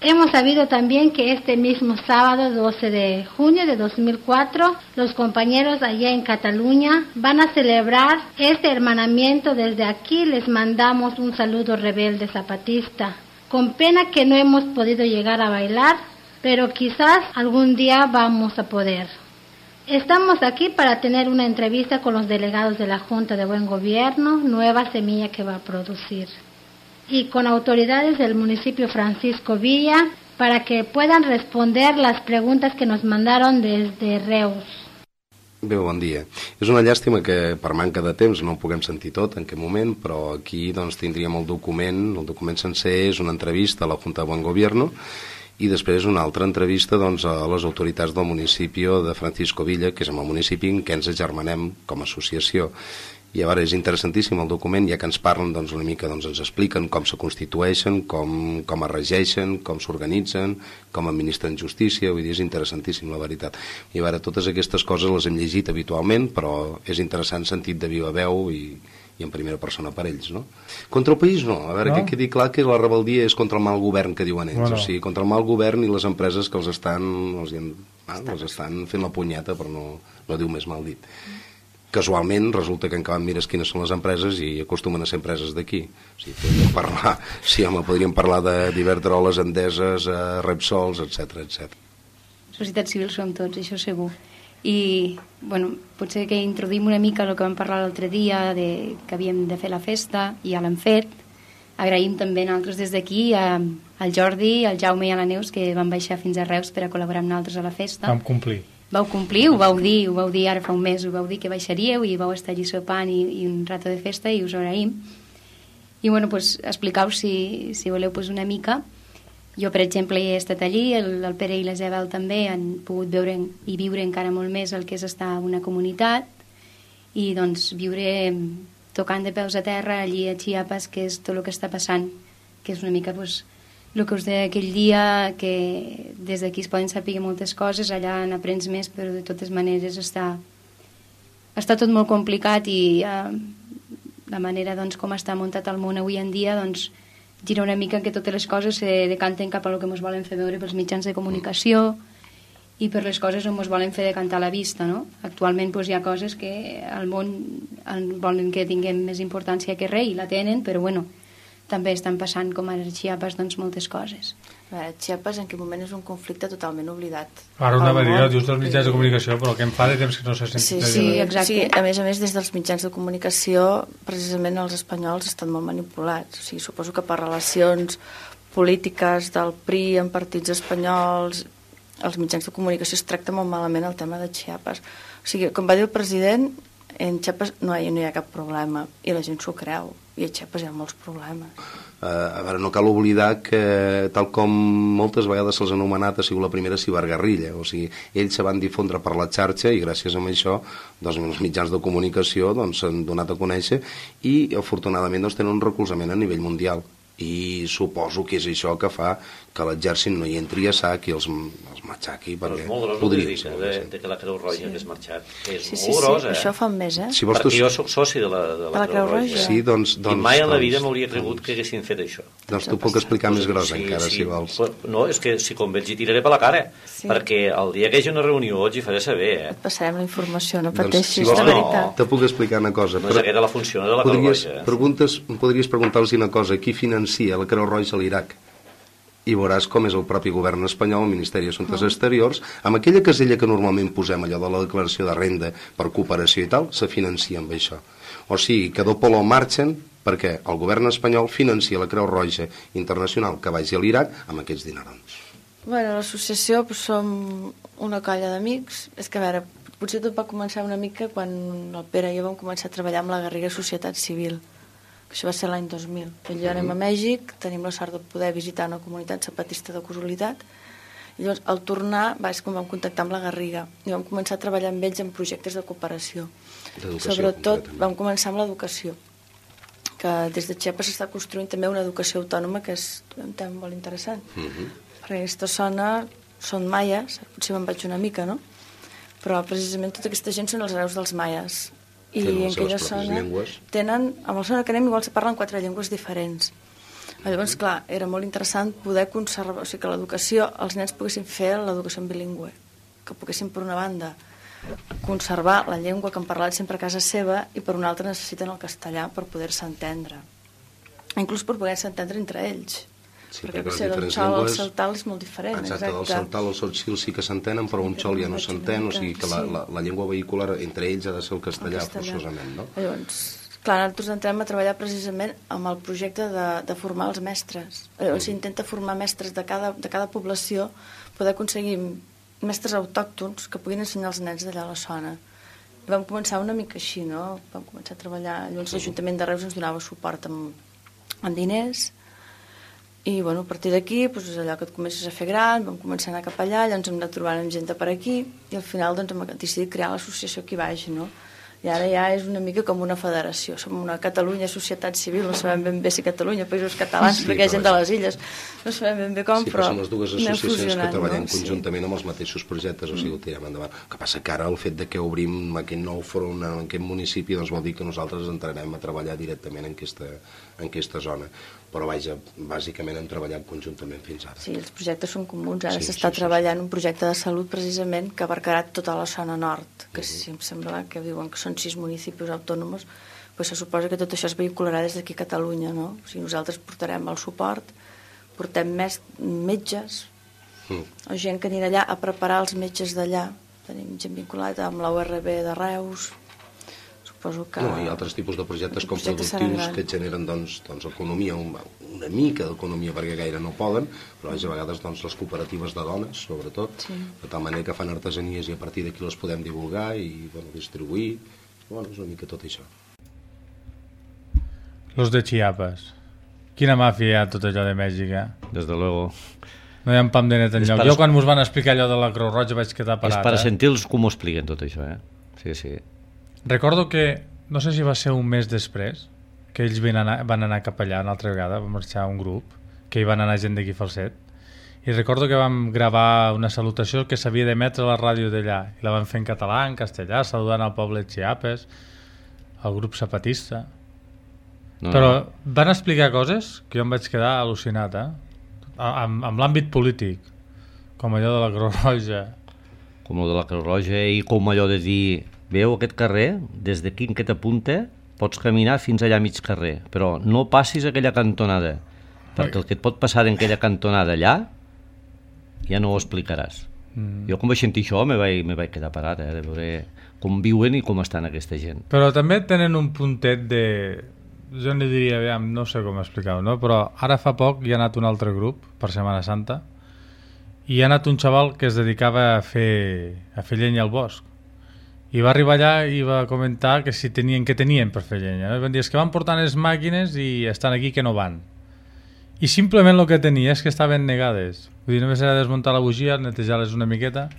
Hemos sabido también que este mismo sábado 12 de junio de 2004, los compañeros allá en Cataluña van a celebrar este hermanamiento. Desde aquí les mandamos un saludo rebelde zapatista. Con pena que no hemos podido llegar a bailar, pero quizás algún día vamos a poder. Estamos aquí para tener una entrevista con los delegados de la Junta de Buen Gobierno, nueva semilla que va a producir, y con autoridades del municipio Francisco Villa para que puedan responder las preguntes que nos mandaron desde Reus. Bé, bon dia. És una llàstima que per manca de temps no ho puguem sentir tot en aquest moment, però aquí doncs, tindríem el document sencer és una entrevista a la Junta de Buen Gobierno i després una altra entrevista doncs, a les autoritats del municipi de Francisco Villa, que és el municipi en què ens agermanem com a associació. I a veure, és interessantíssim el document, ja que ens parlen doncs, una mica, doncs, ens expliquen com se constitueixen, com es regeixen, com s'organitzen, com administren justícia, vull dir, és interessantíssim la veritat. I a veure, totes aquestes coses les hem llegit habitualment, però és interessant sentit de viva veu i en primera persona per ells, no? Contra el país no, a veure, que quedi clar que la rebeldia és contra el mal govern que diuen ells, o sigui, contra el mal govern i les empreses que els estan fent la punyeta, però no diu més mal dit. Casualment resulta que en acabat mires quines són les empreses i acostumen a ser empreses d'aquí. O sigui, podríem parlar d'Iberdrola, Endeses, Repsols, etc. Societat civil som tots, això segur. I bueno, potser que introduïm una mica el que vam parlar l'altre dia, que havíem de fer la festa, i ja l'hem fet. Agraïm també nosaltres des d'aquí al Jordi, al Jaume i a la Neus, que van baixar fins a Reus per a col·laborar amb nosaltres a la festa. Vam complir. Vau complir, ho vau dir ara fa un mes, ho vau dir que baixaríeu i vau estar allí sopant i un rato de festa, i us agraïm. I bueno, pues, expliqueu si voleu pues, una mica. Jo, per exemple, he estat allí, el Pere i la Isabel també han pogut veure i viure encara molt més el que és estar en una comunitat, i doncs viure tocant de peus a terra allí a Chiapas, que és tot el que està passant, que és una mica pues, el que us deia aquell dia, que des d'aquí es poden saber moltes coses, allà n'aprens més, però de totes maneres està tot molt complicat, i la manera doncs, com està muntat el món avui en dia doncs, gira una mica que totes les coses se decanten cap a el que ens volen fer veure pels mitjans de comunicació i per les coses on ens volen fer decantar la vista, no? Actualment doncs, hi ha coses que al món volen que tinguem més importància que res, i la tenen, però bueno, també estan passant, com ara a Chiapas, doncs, moltes coses. A veure, Chiapas en aquell moment és un conflicte totalment oblidat. Ara una manera, dius dels mitjans de comunicació, però el que em fa de temps que no s'ha sentit. Sí, exacte. Sí, a més, des dels mitjans de comunicació, precisament els espanyols estan molt manipulats. O sigui, suposo que per relacions polítiques del PRI amb partits espanyols, els mitjans de comunicació es tracta molt malament el tema de Chiapas. O sigui, com va dir el president, en Chiapas no hi ha cap problema, i la gent s'ho creu, i a Chiapas hi ha molts problemes. A veure, no cal oblidar que, tal com moltes vegades se'ls ha anomenat, ha sigut la primera ciberguerrilla. O sigui, ells se van difondre per la xarxa, i gràcies a això doncs, els mitjans de comunicació s'han donat a conèixer, i afortunadament doncs, tenen un recolzament a nivell mundial. I suposo que és això que fa que l'exèrcit no hi entri a sac i els matxaqui, perquè podria ser. De que la Creu Roja hagués marxat, que és molt gros, això fa un mes, perquè jo soc soci de la Creu Roja. Sí, doncs, i mai en la vida m'hauria cregut que haguessin fet això. Doncs t'ho puc explicar més gros encara, si vols. No, és que si com veig hi tiraré per la cara, perquè el dia que hi hagi una reunió els hi faré saber. Et passarem la informació, no pateixis, de veritat. Te puc explicar una cosa. No és aquesta la funció de la Creu Roja. Podries preguntar-los una cosa, qui financia la Creu Roja a l'Iraq? I veuràs com és el propi govern espanyol, el Ministeri d'Assumptes Exteriors, amb aquella casella que normalment posem, allò de la declaració de renda per cooperació i tal, se financia amb això. O sigui, que doble marxen perquè el govern espanyol financia la Creu Roja Internacional que vagi a l'Iraq amb aquests dinerons. Bueno, l'associació som una colla d'amics. És que, a veure, potser tot va començar una mica quan el Pere i jo vam començar a treballar amb la Garriga Societat Civil. Això va ser l'any 2000. I anem a Mèxic, tenim la sort de poder visitar una comunitat zapatista de casualitat, i llavors al tornar és quan vam contactar amb la Garriga i vam començar a treballar amb ells en projectes de cooperació. Sobretot vam començar amb l'educació, que des de Chiapas s'està construint també una educació autònoma, que és un tema molt interessant. Perquè aquesta zona són maies, potser me'n vaig una mica, no? Però precisament tota aquesta gent són els hereus dels maies. I en aquella zona tenen, amb la zona que anem igual se parlen 4 llengües diferents. Llavors, clar, era molt interessant poder conservar, o sigui, que l'educació, els nens poguessin fer l'educació en bilingüe, que poguessin, per una banda, conservar la llengua que han parlat sempre a casa seva, i per una altra necessiten el castellà per poder-se entendre. Inclús per poder-se entendre entre ells. Sí, perquè el xol al saltal és molt diferent. Exacte, el saltal, el sotxil sí que s'entenen, però un xol ja no s'entén, o sigui que la llengua vehicular entre ells ha de ser el castellà forçosament, no? Llavors, clar, nosaltres entrem a treballar precisament amb el projecte de formar els mestres. Llavors s'intenta formar mestres de cada població, poder aconseguir mestres autòctons que puguin ensenyar els nens d'allà a la zona. I vam començar una mica així, no? Vam començar a treballar, llavors l'Ajuntament de Reus ens donava suport amb diners. I bueno, a partir d'aquí és allò que et comences a fer gran, vam començar a anar cap allà, llavors hem anat trobant gent per aquí, i al final doncs, hem decidit crear l'associació Qui Vagi, no? I ara ja és una mica com una federació. Som una Catalunya Societat Civil, no sabem ben bé si Catalunya, Països Catalans, perquè hi ha gent de les illes, no sabem ben bé com, però som les dues associacions que treballem conjuntament amb els mateixos projectes, o sigui, ho tirem endavant. El que passa que ara el fet que obrim aquest nou front en aquest municipi doncs vol dir que nosaltres entrarem a treballar directament en aquesta zona. Però vaja, bàsicament hem treballat conjuntament fins ara. Sí, els projectes són comuns. Ara s'està treballant un projecte de salut precisament que abarcarà tota la zona nord, que si em sembla que diuen que són 6 municipis autònoms, doncs se suposa que tot això es vehicularà des d'aquí a Catalunya, no? O sigui, nosaltres portarem el suport, portem més metges, o gent que anirà allà a preparar els metges d'allà, tenim gent vinculada amb la URB de Reus, suposo que... No, hi ha altres tipus de projectes com productius que generen economia, una mica d'economia perquè gaire no poden, però a vegades les cooperatives de dones, sobretot, de tal manera que fan artesanies i a partir d'aquí les podem divulgar i distribuir, és una mica tot això. Los de Chiapas. Quina màfia hi ha tot allò de Mèxic, Desde luego. No hi ha un pam de net enlloc. Jo quan mos van explicar allò de la Creu Roja vaig quedar parat. És per sentir-los com ho expliquen tot això, Sí. Recordo que, no sé si va ser un mes després, que ells van anar cap allà una altra vegada, va marxar un grup, que hi van anar gent d'aquí Falset, i recordo que vam gravar una salutació que s'havia d'emetre a la ràdio d'allà, i la van fer en català, en castellà, saludant al poble de Chiapas, al grup zapatista. Però van explicar coses que jo em vaig quedar al·lucinat, amb l'àmbit polític, com allò de la Creu Roja. Com allò de la Creu Roja i com allò de dir, veu aquest carrer, des d'aquí en aquesta punta pots caminar fins allà a mig carrer, però no passis aquella cantonada, perquè el que et pot passar en aquella cantonada allà ja no ho explicaràs. Jo quan vaig sentir això me vaig quedar parat, de veure com viuen i com estan aquesta gent. Però també tenen un puntet de... Jo n'hi diria, no sé com explicar-ho, no? Però ara fa poc hi ha anat un altre grup per Setmana Santa i hi ha anat un xaval que es dedicava a fer llenya al bosc i va arribar allà i va comentar que si tenien per fer llenya, no? Van dir, és que van portant les màquines i estan aquí que no van, i simplement el que tenia és que estaven negades, vull dir, només era desmuntar la bugia, netejar-les una miqueta,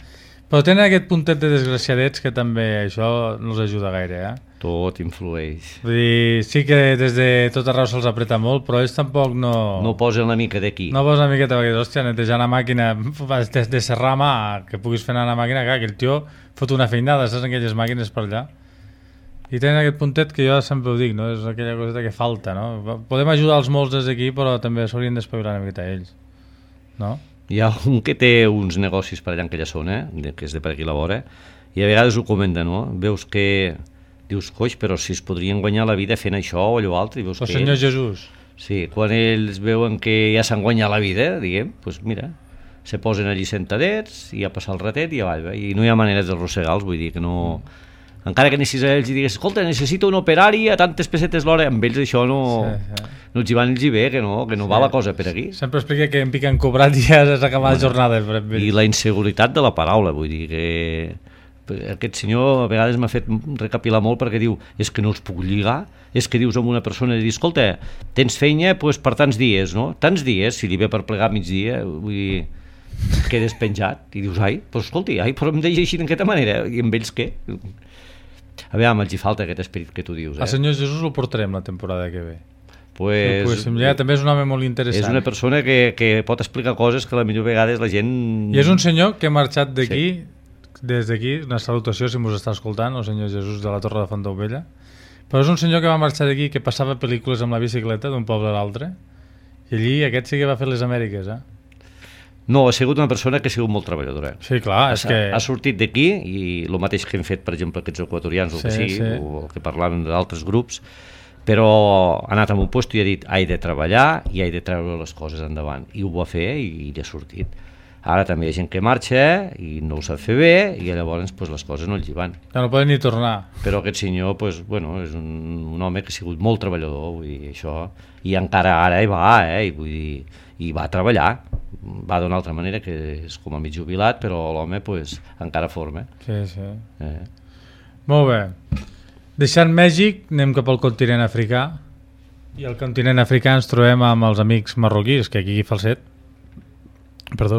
però tenen aquest puntet de desgraciadets que també això no els ajuda gaire, Tot influeix. Vull dir, sí que des de tot arreu se'ls apreta molt, però ells tampoc no... No posen una mica d'aquí. No posen una miqueta, perquè, hòstia, netejar una màquina de serrar mà, que puguis fer anar una màquina, clar, que el tio fot una feinada, saps, en aquelles màquines per allà. I tenen aquest puntet que jo sempre ho dic, no? És aquella coseta que falta, no? Podem ajudar els molts des d'aquí, però també s'haurien d'espavilar una miqueta ells, no? Hi ha un que té uns negocis per allà en aquella zona, que és de per aquí la vora, i a vegades ho comenta, no? Veus que... Dius, coix, però si es podrien guanyar la vida fent això o allò altre... El Senyor Jesús. Sí, quan ells veuen que ja s'han guanyat la vida, diguem, doncs mira, se posen allí sentadets i a passar el ratet i avall, i no hi ha manera d'arrossegar-los, vull dir que no... Encara que anessis a ells i digues, escolta, necessito un operari a tantes pessetes l'hora, amb ells això no... No els hi van bé, que no va la cosa per aquí. Sempre explica que en piquen cobrat i ja s'ha acabat la jornada. I la inseguretat de la paraula, vull dir que... Aquest senyor a vegades m'ha fet recapilar molt perquè diu, és que no els puc lligar, és que dius amb una persona i dius, escolta, tens feina per tants dies, no? Tants dies, si li ve per plegar migdia, vull dir, quedes penjat, i dius, però escolti, però em deia així d'aquesta manera, i amb ells què? A veure, els hi falta aquest esperit que tu dius. El Senyor Jesús el portarem la temporada que ve. Pues, també és un home molt interessant. És una persona que pot explicar coses que a la millor vegades la gent... I és un senyor que ha marxat d'aquí, des d'aquí, una salutació si mos està escoltant, el Senyor Jesús de la Torre de Fontaubella, però és un senyor que va marxar d'aquí, que passava pel·lícules amb la bicicleta d'un poble a l'altre, i allí aquest sí que va fer les Amèriques, No, ha sigut una persona que ha sigut molt treballadora. Sí, clar, és que... Ha sortit d'aquí, i el mateix que hem fet, per exemple, aquests equatorians, o el que parlàvem d'altres grups, però ha anat a un lloc i ha dit, he de treballar i he de treure les coses endavant, i ho va fer i ha sortit. Ara també hi ha gent que marxa i no ho sap fer bé i llavors les coses no els hi van. Ja no poden ni tornar. Però aquest senyor és un home que ha sigut molt treballador, vull dir, això, i encara ara hi va, i va treballar, va d'una altra manera, que és com a mig jubilat, però l'home encara forma. Sí. Molt bé. Deixant Mèxic, anem cap al continent africà, i al continent africà ens trobem amb els amics marroquís, que aquí a Falset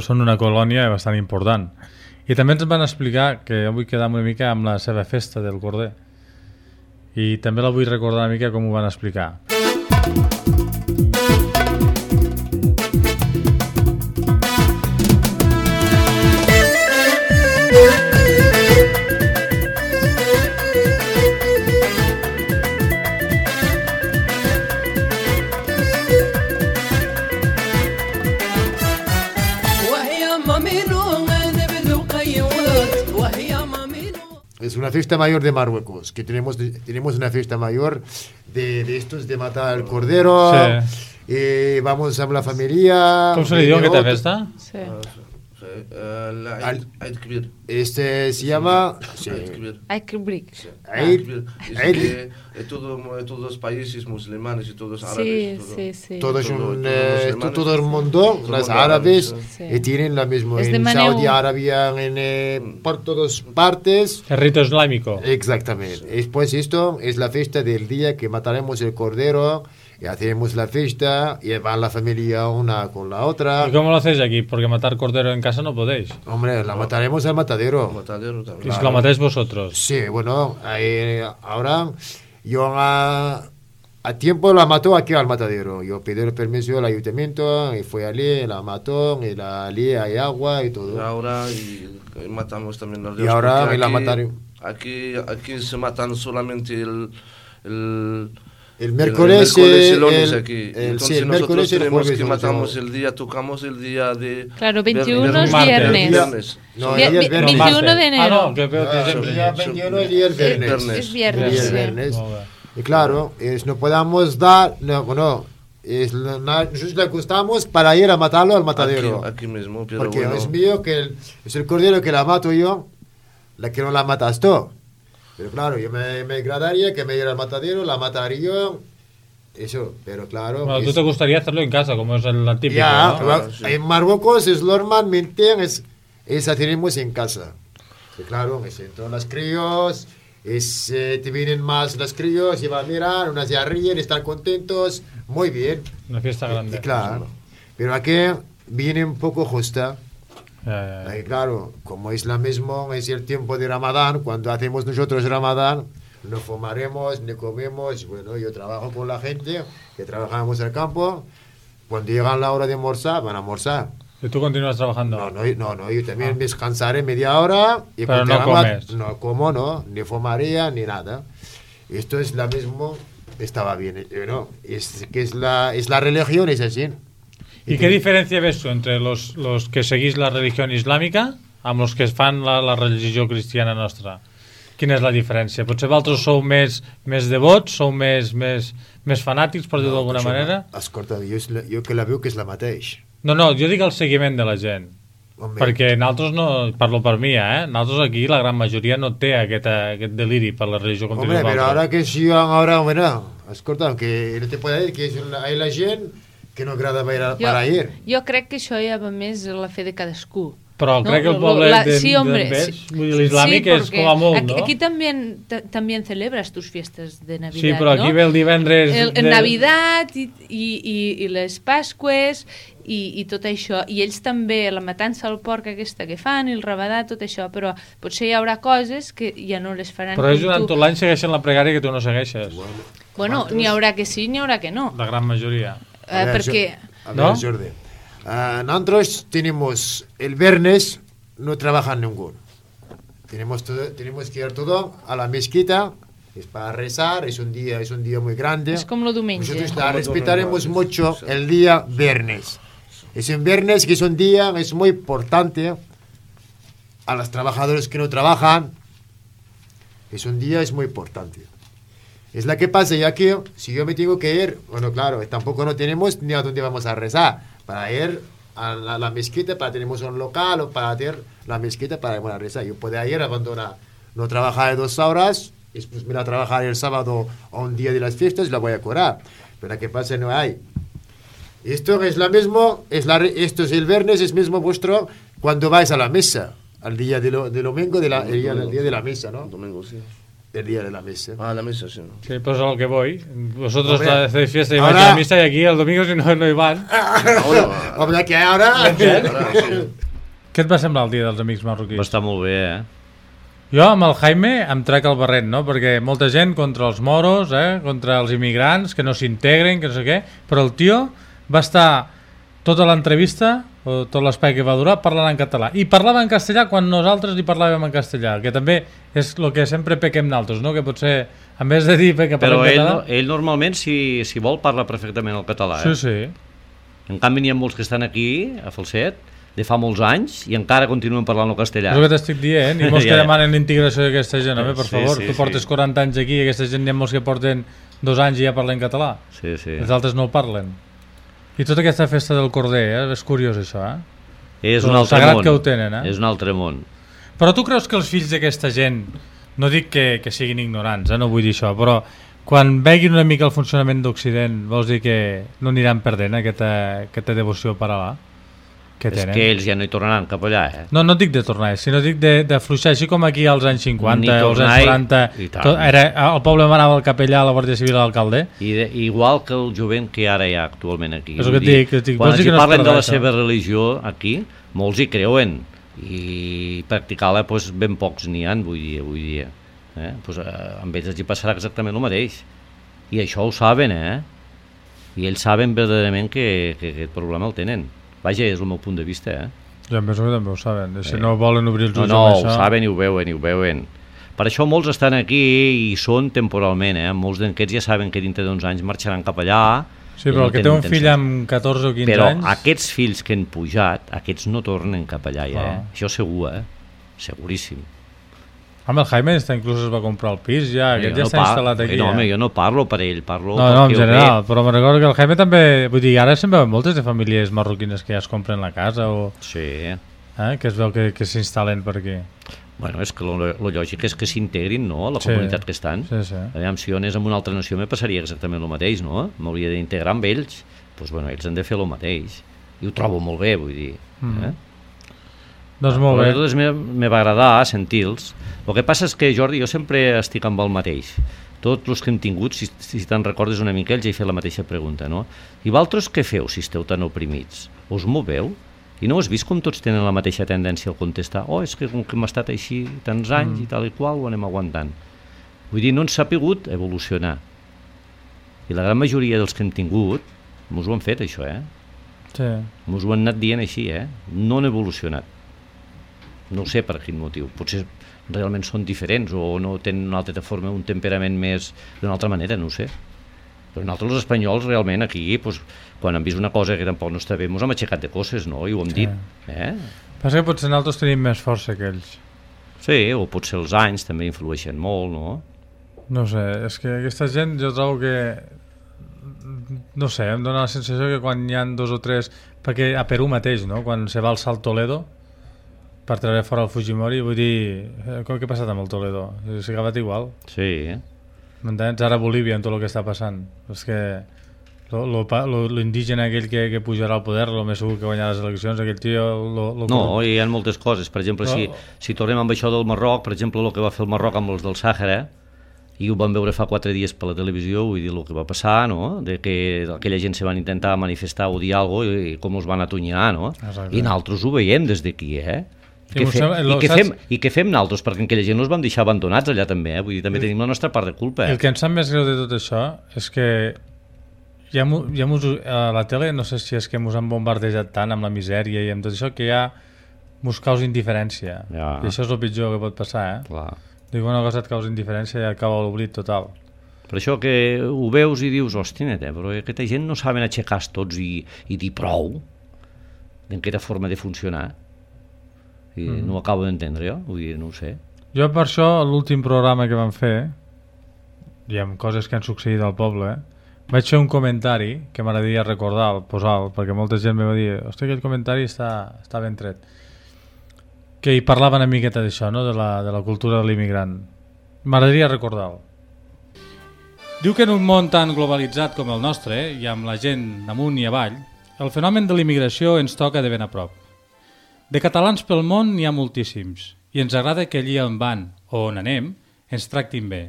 són una colònia bastant important, i també ens van explicar que jo vull quedar una mica amb la seva festa del corder, i també la vull recordar una mica com ho van explicar. Es una fiesta mayor de Marruecos, que tenemos una fiesta mayor de estos de matar al cordero, vamos a la familia. ¿Cómo se le dio en esta fiesta? Sí. Este se llama... Aikbrik. Todos los países musulmanes y todos árabes. Todo el mundo, los árabes, tienen lo mismo. En Saudi Arabia, por todas partes. El rito islámico. Exactamente. Pues esto es la fiesta del día que mataremos el cordero. Y hacemos la fiesta, y va la familia una con la otra. ¿Y cómo lo hacéis aquí? Porque matar cordero en casa no podéis. Hombre, la mataremos al matadero. ¿Y si lo matáis vosotros? Sí, bueno, ahora yo a tiempo la mató aquí al matadero. Yo pedí el permiso al ayuntamiento, y fui allí, la mató, y la lié, hay agua y todo. Ahora y matamos también los dioses. Y ahora la mataremos. Aquí se matan solamente el miércoles y el lunes aquí. Entonces el nosotros tenemos jueves, que matamos el día, tocamos el día de... Claro, 21 es viernes. No, 21 de enero. Ah, no, que el día 21 y el viernes. Es viernes. Y claro, no podamos dar... nosotros le gustamos para ir a matarlo al matadero. Aquí mismo, pero porque bueno. Es mío que es el cordero que la mato yo, la que no la matas tú. Pero claro, yo me agradaría que me diera al matadero, la mataría yo, eso, pero claro... Bueno, tú te gustaría hacerlo en casa, como es la típica, ya, ¿no? Sí. En Marruecos es normalmente hacemos en casa. Y claro, entran las críos, te vienen más los críos y van a mirar, unas ya ríen, están contentos, muy bien. Una fiesta grande. Y claro, pero aquí viene un poco justa. Ahí, claro, como es la mismo, es el tiempo de Ramadán, cuando hacemos nosotros Ramadán, no fumaremos, ni comemos. Bueno, yo trabajo con la gente que trabajamos en el campo, cuando llega la hora de almorzar, van a almorzar. ¿Y tú continúas trabajando? No, yo también me descansaré media hora. Y pero no comes. No como, no, ni fumaría, ni nada. Esto es la mismo, estaba bien, ¿no? Es la religión, es así. ¿Y qué diferència ves tu entre los que seguís la religió islàmica amb els que fan la religió cristiana nostra? Quina és la diferència? Potser vosaltres sou més devots, sou més fanàtics, per dir-ho d'alguna manera? Escolta, jo que la veu que és la mateix. No, jo dic el seguiment de la gent. Home. Perquè nosaltres no, parlo per mi, nosaltres aquí la gran majoria no té aquest deliri per la religió com Hombre, però ara que si ahora, escolta, que no te puede dir que hay la gent que no agrada para ir. Jo crec que això ja va més a la fe de cadascú. Però crec que el poble l'islàmic és com a molt, ¿no? Aquí también celebras tus fiestas de Navidad, sí, però aquí ve el divendres... El Navidad i les Pasques i tot això. I ells també, la matança al porc aquesta que fan, i el rabadà, tot això, però potser hi haurà coses que ja no les faran. Però ells durant tot l'any segueixen la pregària que tu no segueixes. Bueno, n'hi haurà que sí, n'hi haurà que no. La gran majoria. Perquè... ¿No? Jordi. Nosotros tenemos el viernes, no trabaja ninguno. Tenemos que ir todo a la mezquita, es para rezar, es un día muy grande. Es como lo domingo. Nosotros respetaremos mucho el día viernes. Es un viernes que es un día es muy importante a los trabajadores que no trabajan. Es un día es muy importante. Es la que pasa, ya que si yo me tengo que ir, bueno, claro, tampoco no tenemos ni a dónde vamos a rezar. Para ir a la mezquita, tenemos un local o para hacer la mezquita para ir a rezar. Yo puedo ir, abandonar, no trabajar 2 horas, después me voy a trabajar el sábado o un día de las fiestas y la voy a cobrar. Pero la que pasa no hay. Esto es lo mismo, esto es el viernes, es mismo vuestro cuando vais a la mesa, al día de domingo, el día de la mesa, ¿no? Domingo, sí. El día de la mesa. Ah, la mesa, sí. Sí, pues a lo que voy. Vosotros hacéis fiesta y vais a la misa y aquí el domingo si no hi van. Hombre, que ara... Què et va semblar el dia dels amics marroquins? Va estar molt bé, Jo amb el Jaime em trec el barret, no? Perquè molta gent contra els moros, contra els immigrants, que no s'integren, que no sé què, però el tio va estar tota l'entrevista, o tot l'espai que va durar, parlant en català. I parlava en castellà quan nosaltres li parlàvem en castellà, que també és el que sempre pequem nosaltres, no? Que potser, en vez de dir que parlem català... Però ell normalment, si vol, parla perfectament el català. Sí, sí. En canvi, n'hi ha molts que estan aquí, a Falset, de fa molts anys, i encara continuen parlant el castellà. És el que t'estic dient, i molts que demanen l'integració d'aquesta gent, per favor. Tu portes 40 anys aquí i aquesta gent n'hi ha molts que porten 2 anys i ja parlen català. Sí, sí. Els altres no el parlen. I tota aquesta festa del corder, és curiós això, És un altre sagrat món. Que ho tenen, És un altre món. Però tu creus que els fills d'aquesta gent, no dic que siguin ignorants, no vull dir això, però quan veguin una mica el funcionament d'Occident, vols dir que no aniran perdent aquesta devoció paral·là que tenen? És que ells ja no hi tornaran cap allà, No et dic de tornar, sinó dic de fluixar, així com aquí als anys 50 o als anys 40, el poble manava el capellà, la Guàrdia Civil, l'alcalde. Igual que el jovent que ara hi ha actualment aquí. És el que et dic. Quan els parlen de la seva religió aquí, molts hi creuen, i practicar-la ben pocs n'hi ha avui dia. Amb ells hi passarà exactament el mateix, i això ho saben, i ells saben verdaderament que aquest problema el tenen. Vaja, és el meu punt de vista, Ja em penso que també ho saben, si no volen obrir els ulls amb això. ho saben i ho veuen. Per això molts estan aquí i són temporalment, molts d'aquests ja saben que dintre d'uns anys marxaran cap allà. Sí, però el que té un fill amb 14 o 15 anys... Però aquests fills que han pujat, aquests no tornen cap allà ja, Això segur, seguríssim. Home, el Jaime inclús es va comprar el pis ja, aquest ja està instal·lat aquí. No, home, jo no parlo per ell, parlo... No, en general, però me recordo que el Jaime també... Vull dir, ara se'n veuen moltes de famílies marroquines que ja es compren la casa o... Sí. Que es veu que s'instal·len per aquí. Bueno, és que lo lògic és que s'integrin, no?, a la comunitat que estan. Sí. Aviam, si jo anés amb una altra nació me passaria exactament el mateix, no? M'hauria d'integrar amb ells. Doncs, bueno, ells han de fer el mateix. I ho trobo molt bé, vull dir. Doncs molt bé. Però me va agradar sentir-los. El que passa és que, Jordi, jo sempre estic amb el mateix. Tots els que hem tingut, si te'n recordes una mica, ells ja he fet la mateixa pregunta, no? I vosaltres què feu si esteu tan oprimits? Us moveu? I no has vist com tots tenen la mateixa tendència al contestar és que com que hem estat així tants anys i tal i qual ho anem aguantant. Vull dir, no ens ha pogut evolucionar. I la gran majoria dels que hem tingut mos ho han fet, això, Sí. Mos ho han anat dient així, no han evolucionat. No sé per quin motiu. Potser realment són diferents o no tenen una altra forma, un temperament més d'una altra manera, no ho sé. Però nosaltres els espanyols realment aquí, quan hem vist una cosa que tampoc no està bé, ens hem aixecat de coses, no? I ho hem dit. Passa que potser nosaltres tenim més força que ells. Sí, o potser els anys també influeixen molt, no? No sé, és que aquesta gent jo trobo que... No sé, em dóna la sensació que quan hi ha 2 o 3... Perquè a Perú mateix, no? Quan se va alçar el Toledo per treure fora el Fujimori, vull dir... Què ha passat amb el Toledo? S'ha acabat igual. Sí, M'entens? Ara a Bolívia, amb tot el que està passant. És que l'indígena aquell que pujarà al poder, el més segur que guanyarà les eleccions, aquell tio... No, hi ha moltes coses. Per exemple, si tornem amb això del Marroc, per exemple, el que va fer el Marroc amb els del Sàhara, i ho vam veure fa 4 dies per la televisió, vull dir, el que va passar, no?, de que aquella gent se van intentar manifestar o dir alguna cosa i com els van atonyinar, no? Exacte. I nosaltres ho veiem des d'aquí, I què fem nosaltres? Perquè aquella gent no els vam deixar abandonats allà també, vull dir, també tenim la nostra part de culpa. El que em sap més greu de tot això és que a la tele, no sé si és que ens han bombardejat tant amb la misèria i amb tot això, que ja mos causa indiferència. I això és el pitjor que pot passar, Clar. Dic, una cosa et causa indiferència i acaba l'oblit total. Per això que ho veus i dius, hòstia, però aquesta gent no saben aixecar tots i dir prou d'aquesta forma de funcionar. I no ho acabo d'entendre jo, vull dir, no ho sé. Jo per això, l'últim programa que vam fer, i amb coses que han succeït al poble, vaig fer un comentari que m'agradaria recordar, posar-lo, perquè molta gent me va dir, hòstia, aquell comentari està ben tret. Que hi parlava una miqueta d'això, no?, de la cultura de l'immigrant. M'agradaria recordar-ho. Diu que en un món tan globalitzat com el nostre, i amb la gent amunt i avall, el fenomen de l'immigració ens toca de ben a prop. De catalans pel món n'hi ha moltíssims, i ens agrada que allí on van, o on anem, ens tractin bé.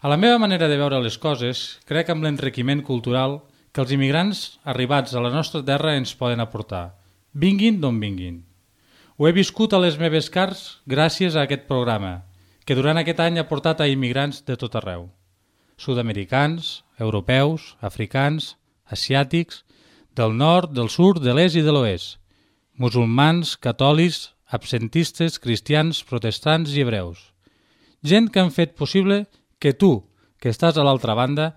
A la meva manera de veure les coses, crec amb l'enriquiment cultural que els immigrants arribats a la nostra terra ens poden aportar, vinguin d'on vinguin. Ho he viscut a les meves carns gràcies a aquest programa, que durant aquest any ha portat a immigrants de tot arreu. Sud-americans, europeus, africans, asiàtics, del nord, del sud, de l'est i de l'oest, musulmans, catòlics, absentistes, cristians, protestants i hebreus. Gent que han fet possible que tu, que estàs a l'altra banda,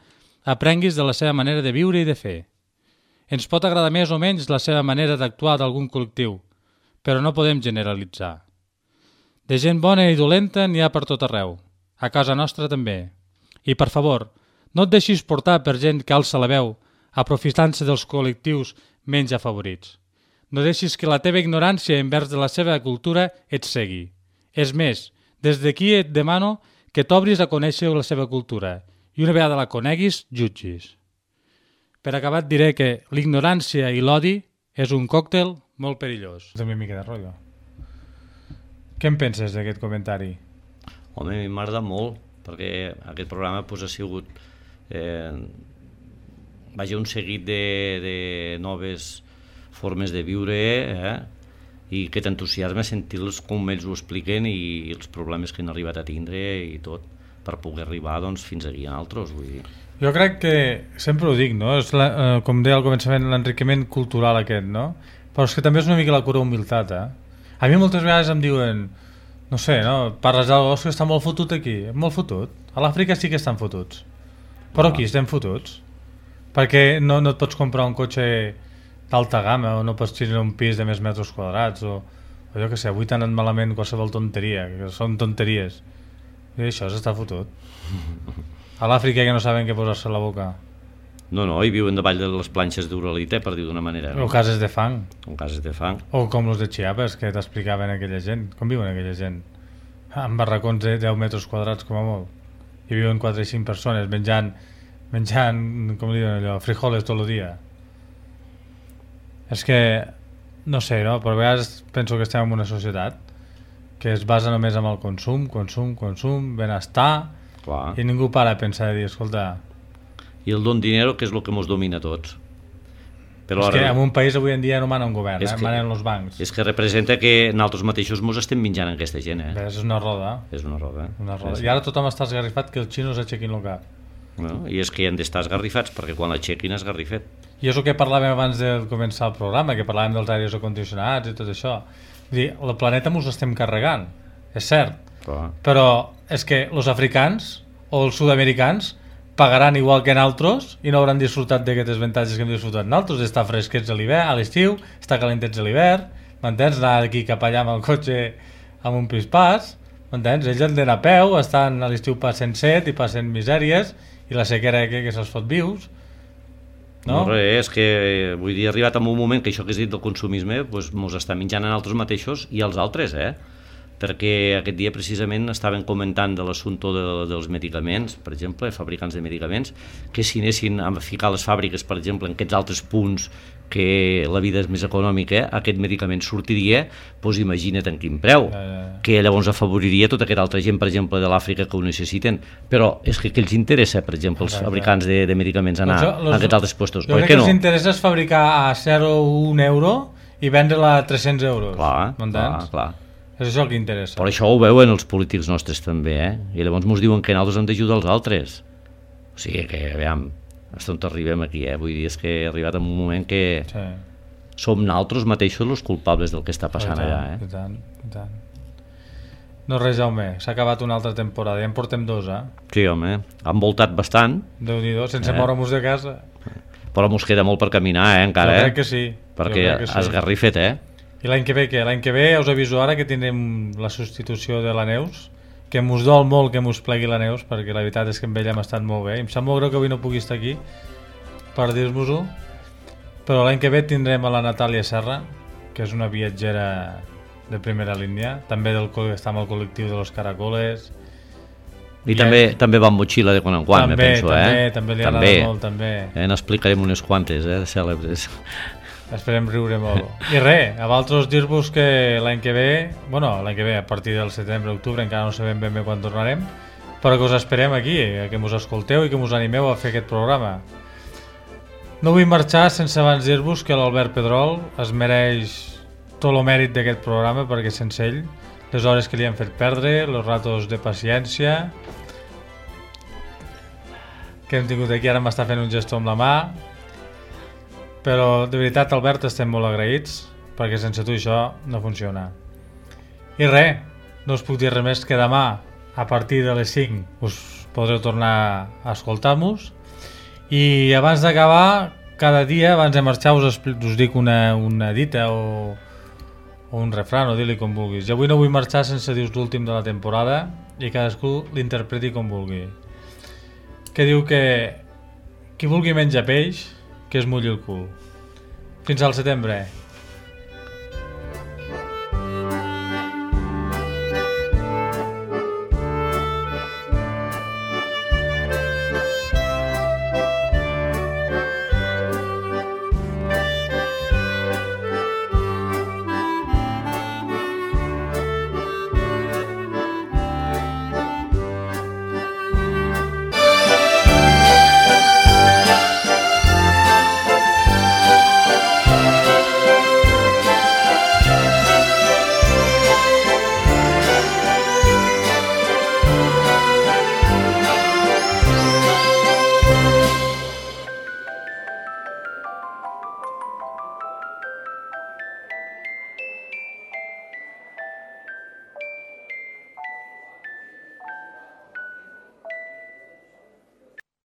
aprenguis de la seva manera de viure i de fer. Ens pot agradar més o menys la seva manera d'actuar d'algun col·lectiu, però no podem generalitzar. De gent bona i dolenta n'hi ha per tot arreu, a casa nostra també. I, per favor, no et deixis portar per gent que alça la veu, aprofitant-se dels col·lectius menys afavorits. no deixis que la teva ignorància envers de la seva cultura et cegui. És més, des d'aquí et demano que t'obris a conèixer la seva cultura i una vegada la coneguis, jutgis. Per acabar et diré que l'ignorància i l'odi és un còctel molt perillós. També una mica de rotllo. Què en penses d'aquest comentari? Home, a mi m'agrada molt, perquè aquest programa ha sigut un seguit de noves formes de viure i que t'entusiasma sentir-los com ells ho expliquen i els problemes que han arribat a tindre i tot, per poder arribar fins aquí a altres, vull dir. Jo crec que, sempre ho dic, no? És com deia al començament, l'enriquiment cultural aquest, no? Però és que també és una mica la cura humilitat, A mi moltes vegades em diuen, no sé, no? Parles d'algú que està molt fotut aquí, molt fotut. A l'Àfrica sí que estan fotuts, però aquí estem fotuts. Perquè no et pots comprar un cotxe d'alta gamma o no pots tenir un pis de més metres quadrats o jo què sé, avui t'han anat malament qualsevol tonteria, que són tonteries. I això s'està fotut. A l'Àfrica que no saben què posar-se a la boca. No, i viuen davall de les planxes d'Uralita, per dir d'una manera. O cases de fang. O com els de Chiapas, que t'explicaven aquella gent. Com viuen aquella gent? En barracons de 10 metres quadrats, com a molt. I viuen 4 i 5 persones menjant, com diuen allò, frijoles tot el dia. És que, no sé, no? Però a vegades penso que estem en una societat que es basa només en el consum, benestar, clar. I ningú para a pensar i dir, escolta... I el don dinero, que és el que ens domina a tots. Però és que en un país avui en dia no mana un govern, manen els bancs. És que representa que nosaltres mateixos ens estem menjant aquesta gent. És una roda. És una roda. I ara tothom està esgarrifat que els xinos aixequin el cap. I és que hi han d'estar esgarrifats, perquè quan l'aixequin és esgarrifet. I és el que parlàvem abans de començar el programa, que parlàvem dels aires acondicionats i tot això. Vull dir, el planeta ens estem carregant, és cert. Però és que els africans o els sud-americans pagaran igual que nosaltres i no hauran disfrutat d'aquests avantatges que hem disfrutat nosaltres, d'estar fresquets a l'hivern, a l'estiu, estar calentets a l'hivern, m'entens? Anar d'aquí cap allà amb el cotxe amb un pispàs, m'entens? Ells han d'anar a peu, estan a l'estiu passant set i passant misèries i la sequera que se'ls fot vius. No, és que vull dir, ha arribat en un moment que això que has dit del consumisme ens està menjant a nosaltres mateixos i als altres, perquè aquest dia precisament estaven comentant de l'assumpte dels medicaments, per exemple, fabricants de medicaments, que si anessin a ficar les fàbriques, per exemple, en aquests altres punts que la vida és més econòmica, aquest medicament sortiria, doncs imagina't en quin preu, que llavors afavoriria tota aquesta altra gent, per exemple, de l'Àfrica que ho necessiten, però és que els interessa, per exemple, els fabricants de medicaments anar a aquests altres puestos, jo crec que els interessa és fabricar a 0 o 1 euro i vendre-la a 300 euros, m'entens? Clar. És això el que interessa. Però això ho veuen els polítics nostres també, i llavors ens diuen que nosaltres hem d'ajudar els altres. O sigui que, aviam, fins on arribem aquí, vull dir, és que he arribat en un moment que som nosaltres mateixos els culpables del que està passant allà. I tant. No res, Jaume, s'ha acabat una altra temporada, ja en portem 2, Sí, home, han voltat bastant. Déu-n'hi-do, sense moure-nos de casa. Però mos queda molt per caminar, encara. Jo crec que sí. Perquè esgarrifet, I l'any que ve què? L'any que ve us aviso ara que tindrem la substitució de la Neus, que mos dol molt que mos plegui la Neus, perquè la veritat és que amb ella hem estat molt bé. Em sap molt greu que avui no pugui estar aquí per dir-vos-ho, però l'any que ve tindrem a la Natàlia Serra, que és una viatgera de primera línia, també està amb el col·lectiu de los Caracoles. I també va amb motxilla de quan en quan, me penso. També li agrada molt, també. N'explicarem unes quantes, de cèlebres. Esperem riure molt. I res, a vosaltres dir-vos que l'any que ve, a partir del setembre, octubre, encara no sabem ben bé quan tornarem, però que us esperem aquí, que us escolteu i que us animeu a fer aquest programa. No vull marxar sense abans dir-vos que l'Albert Pedrol es mereix tot el mèrit d'aquest programa, perquè sense ell, les hores que li han fet perdre, els ratos de paciència que hem tingut aquí, ara m'està fent un gesto amb la mà. Però de veritat, Albert, estem molt agraïts perquè sense tu això no funciona. I res, no us puc dir res més que demà a partir de les 5 us podreu tornar a escoltar-nos i abans d'acabar, cada dia abans de marxar us dic una dita o un refrán, o dir-li com vulguis. Jo avui no vull marxar sense dir-vos l'últim de la temporada i cadascú l'interpreti com vulgui, que diu que qui vulgui menjar peix que es mulli el cul. Fins al setembre.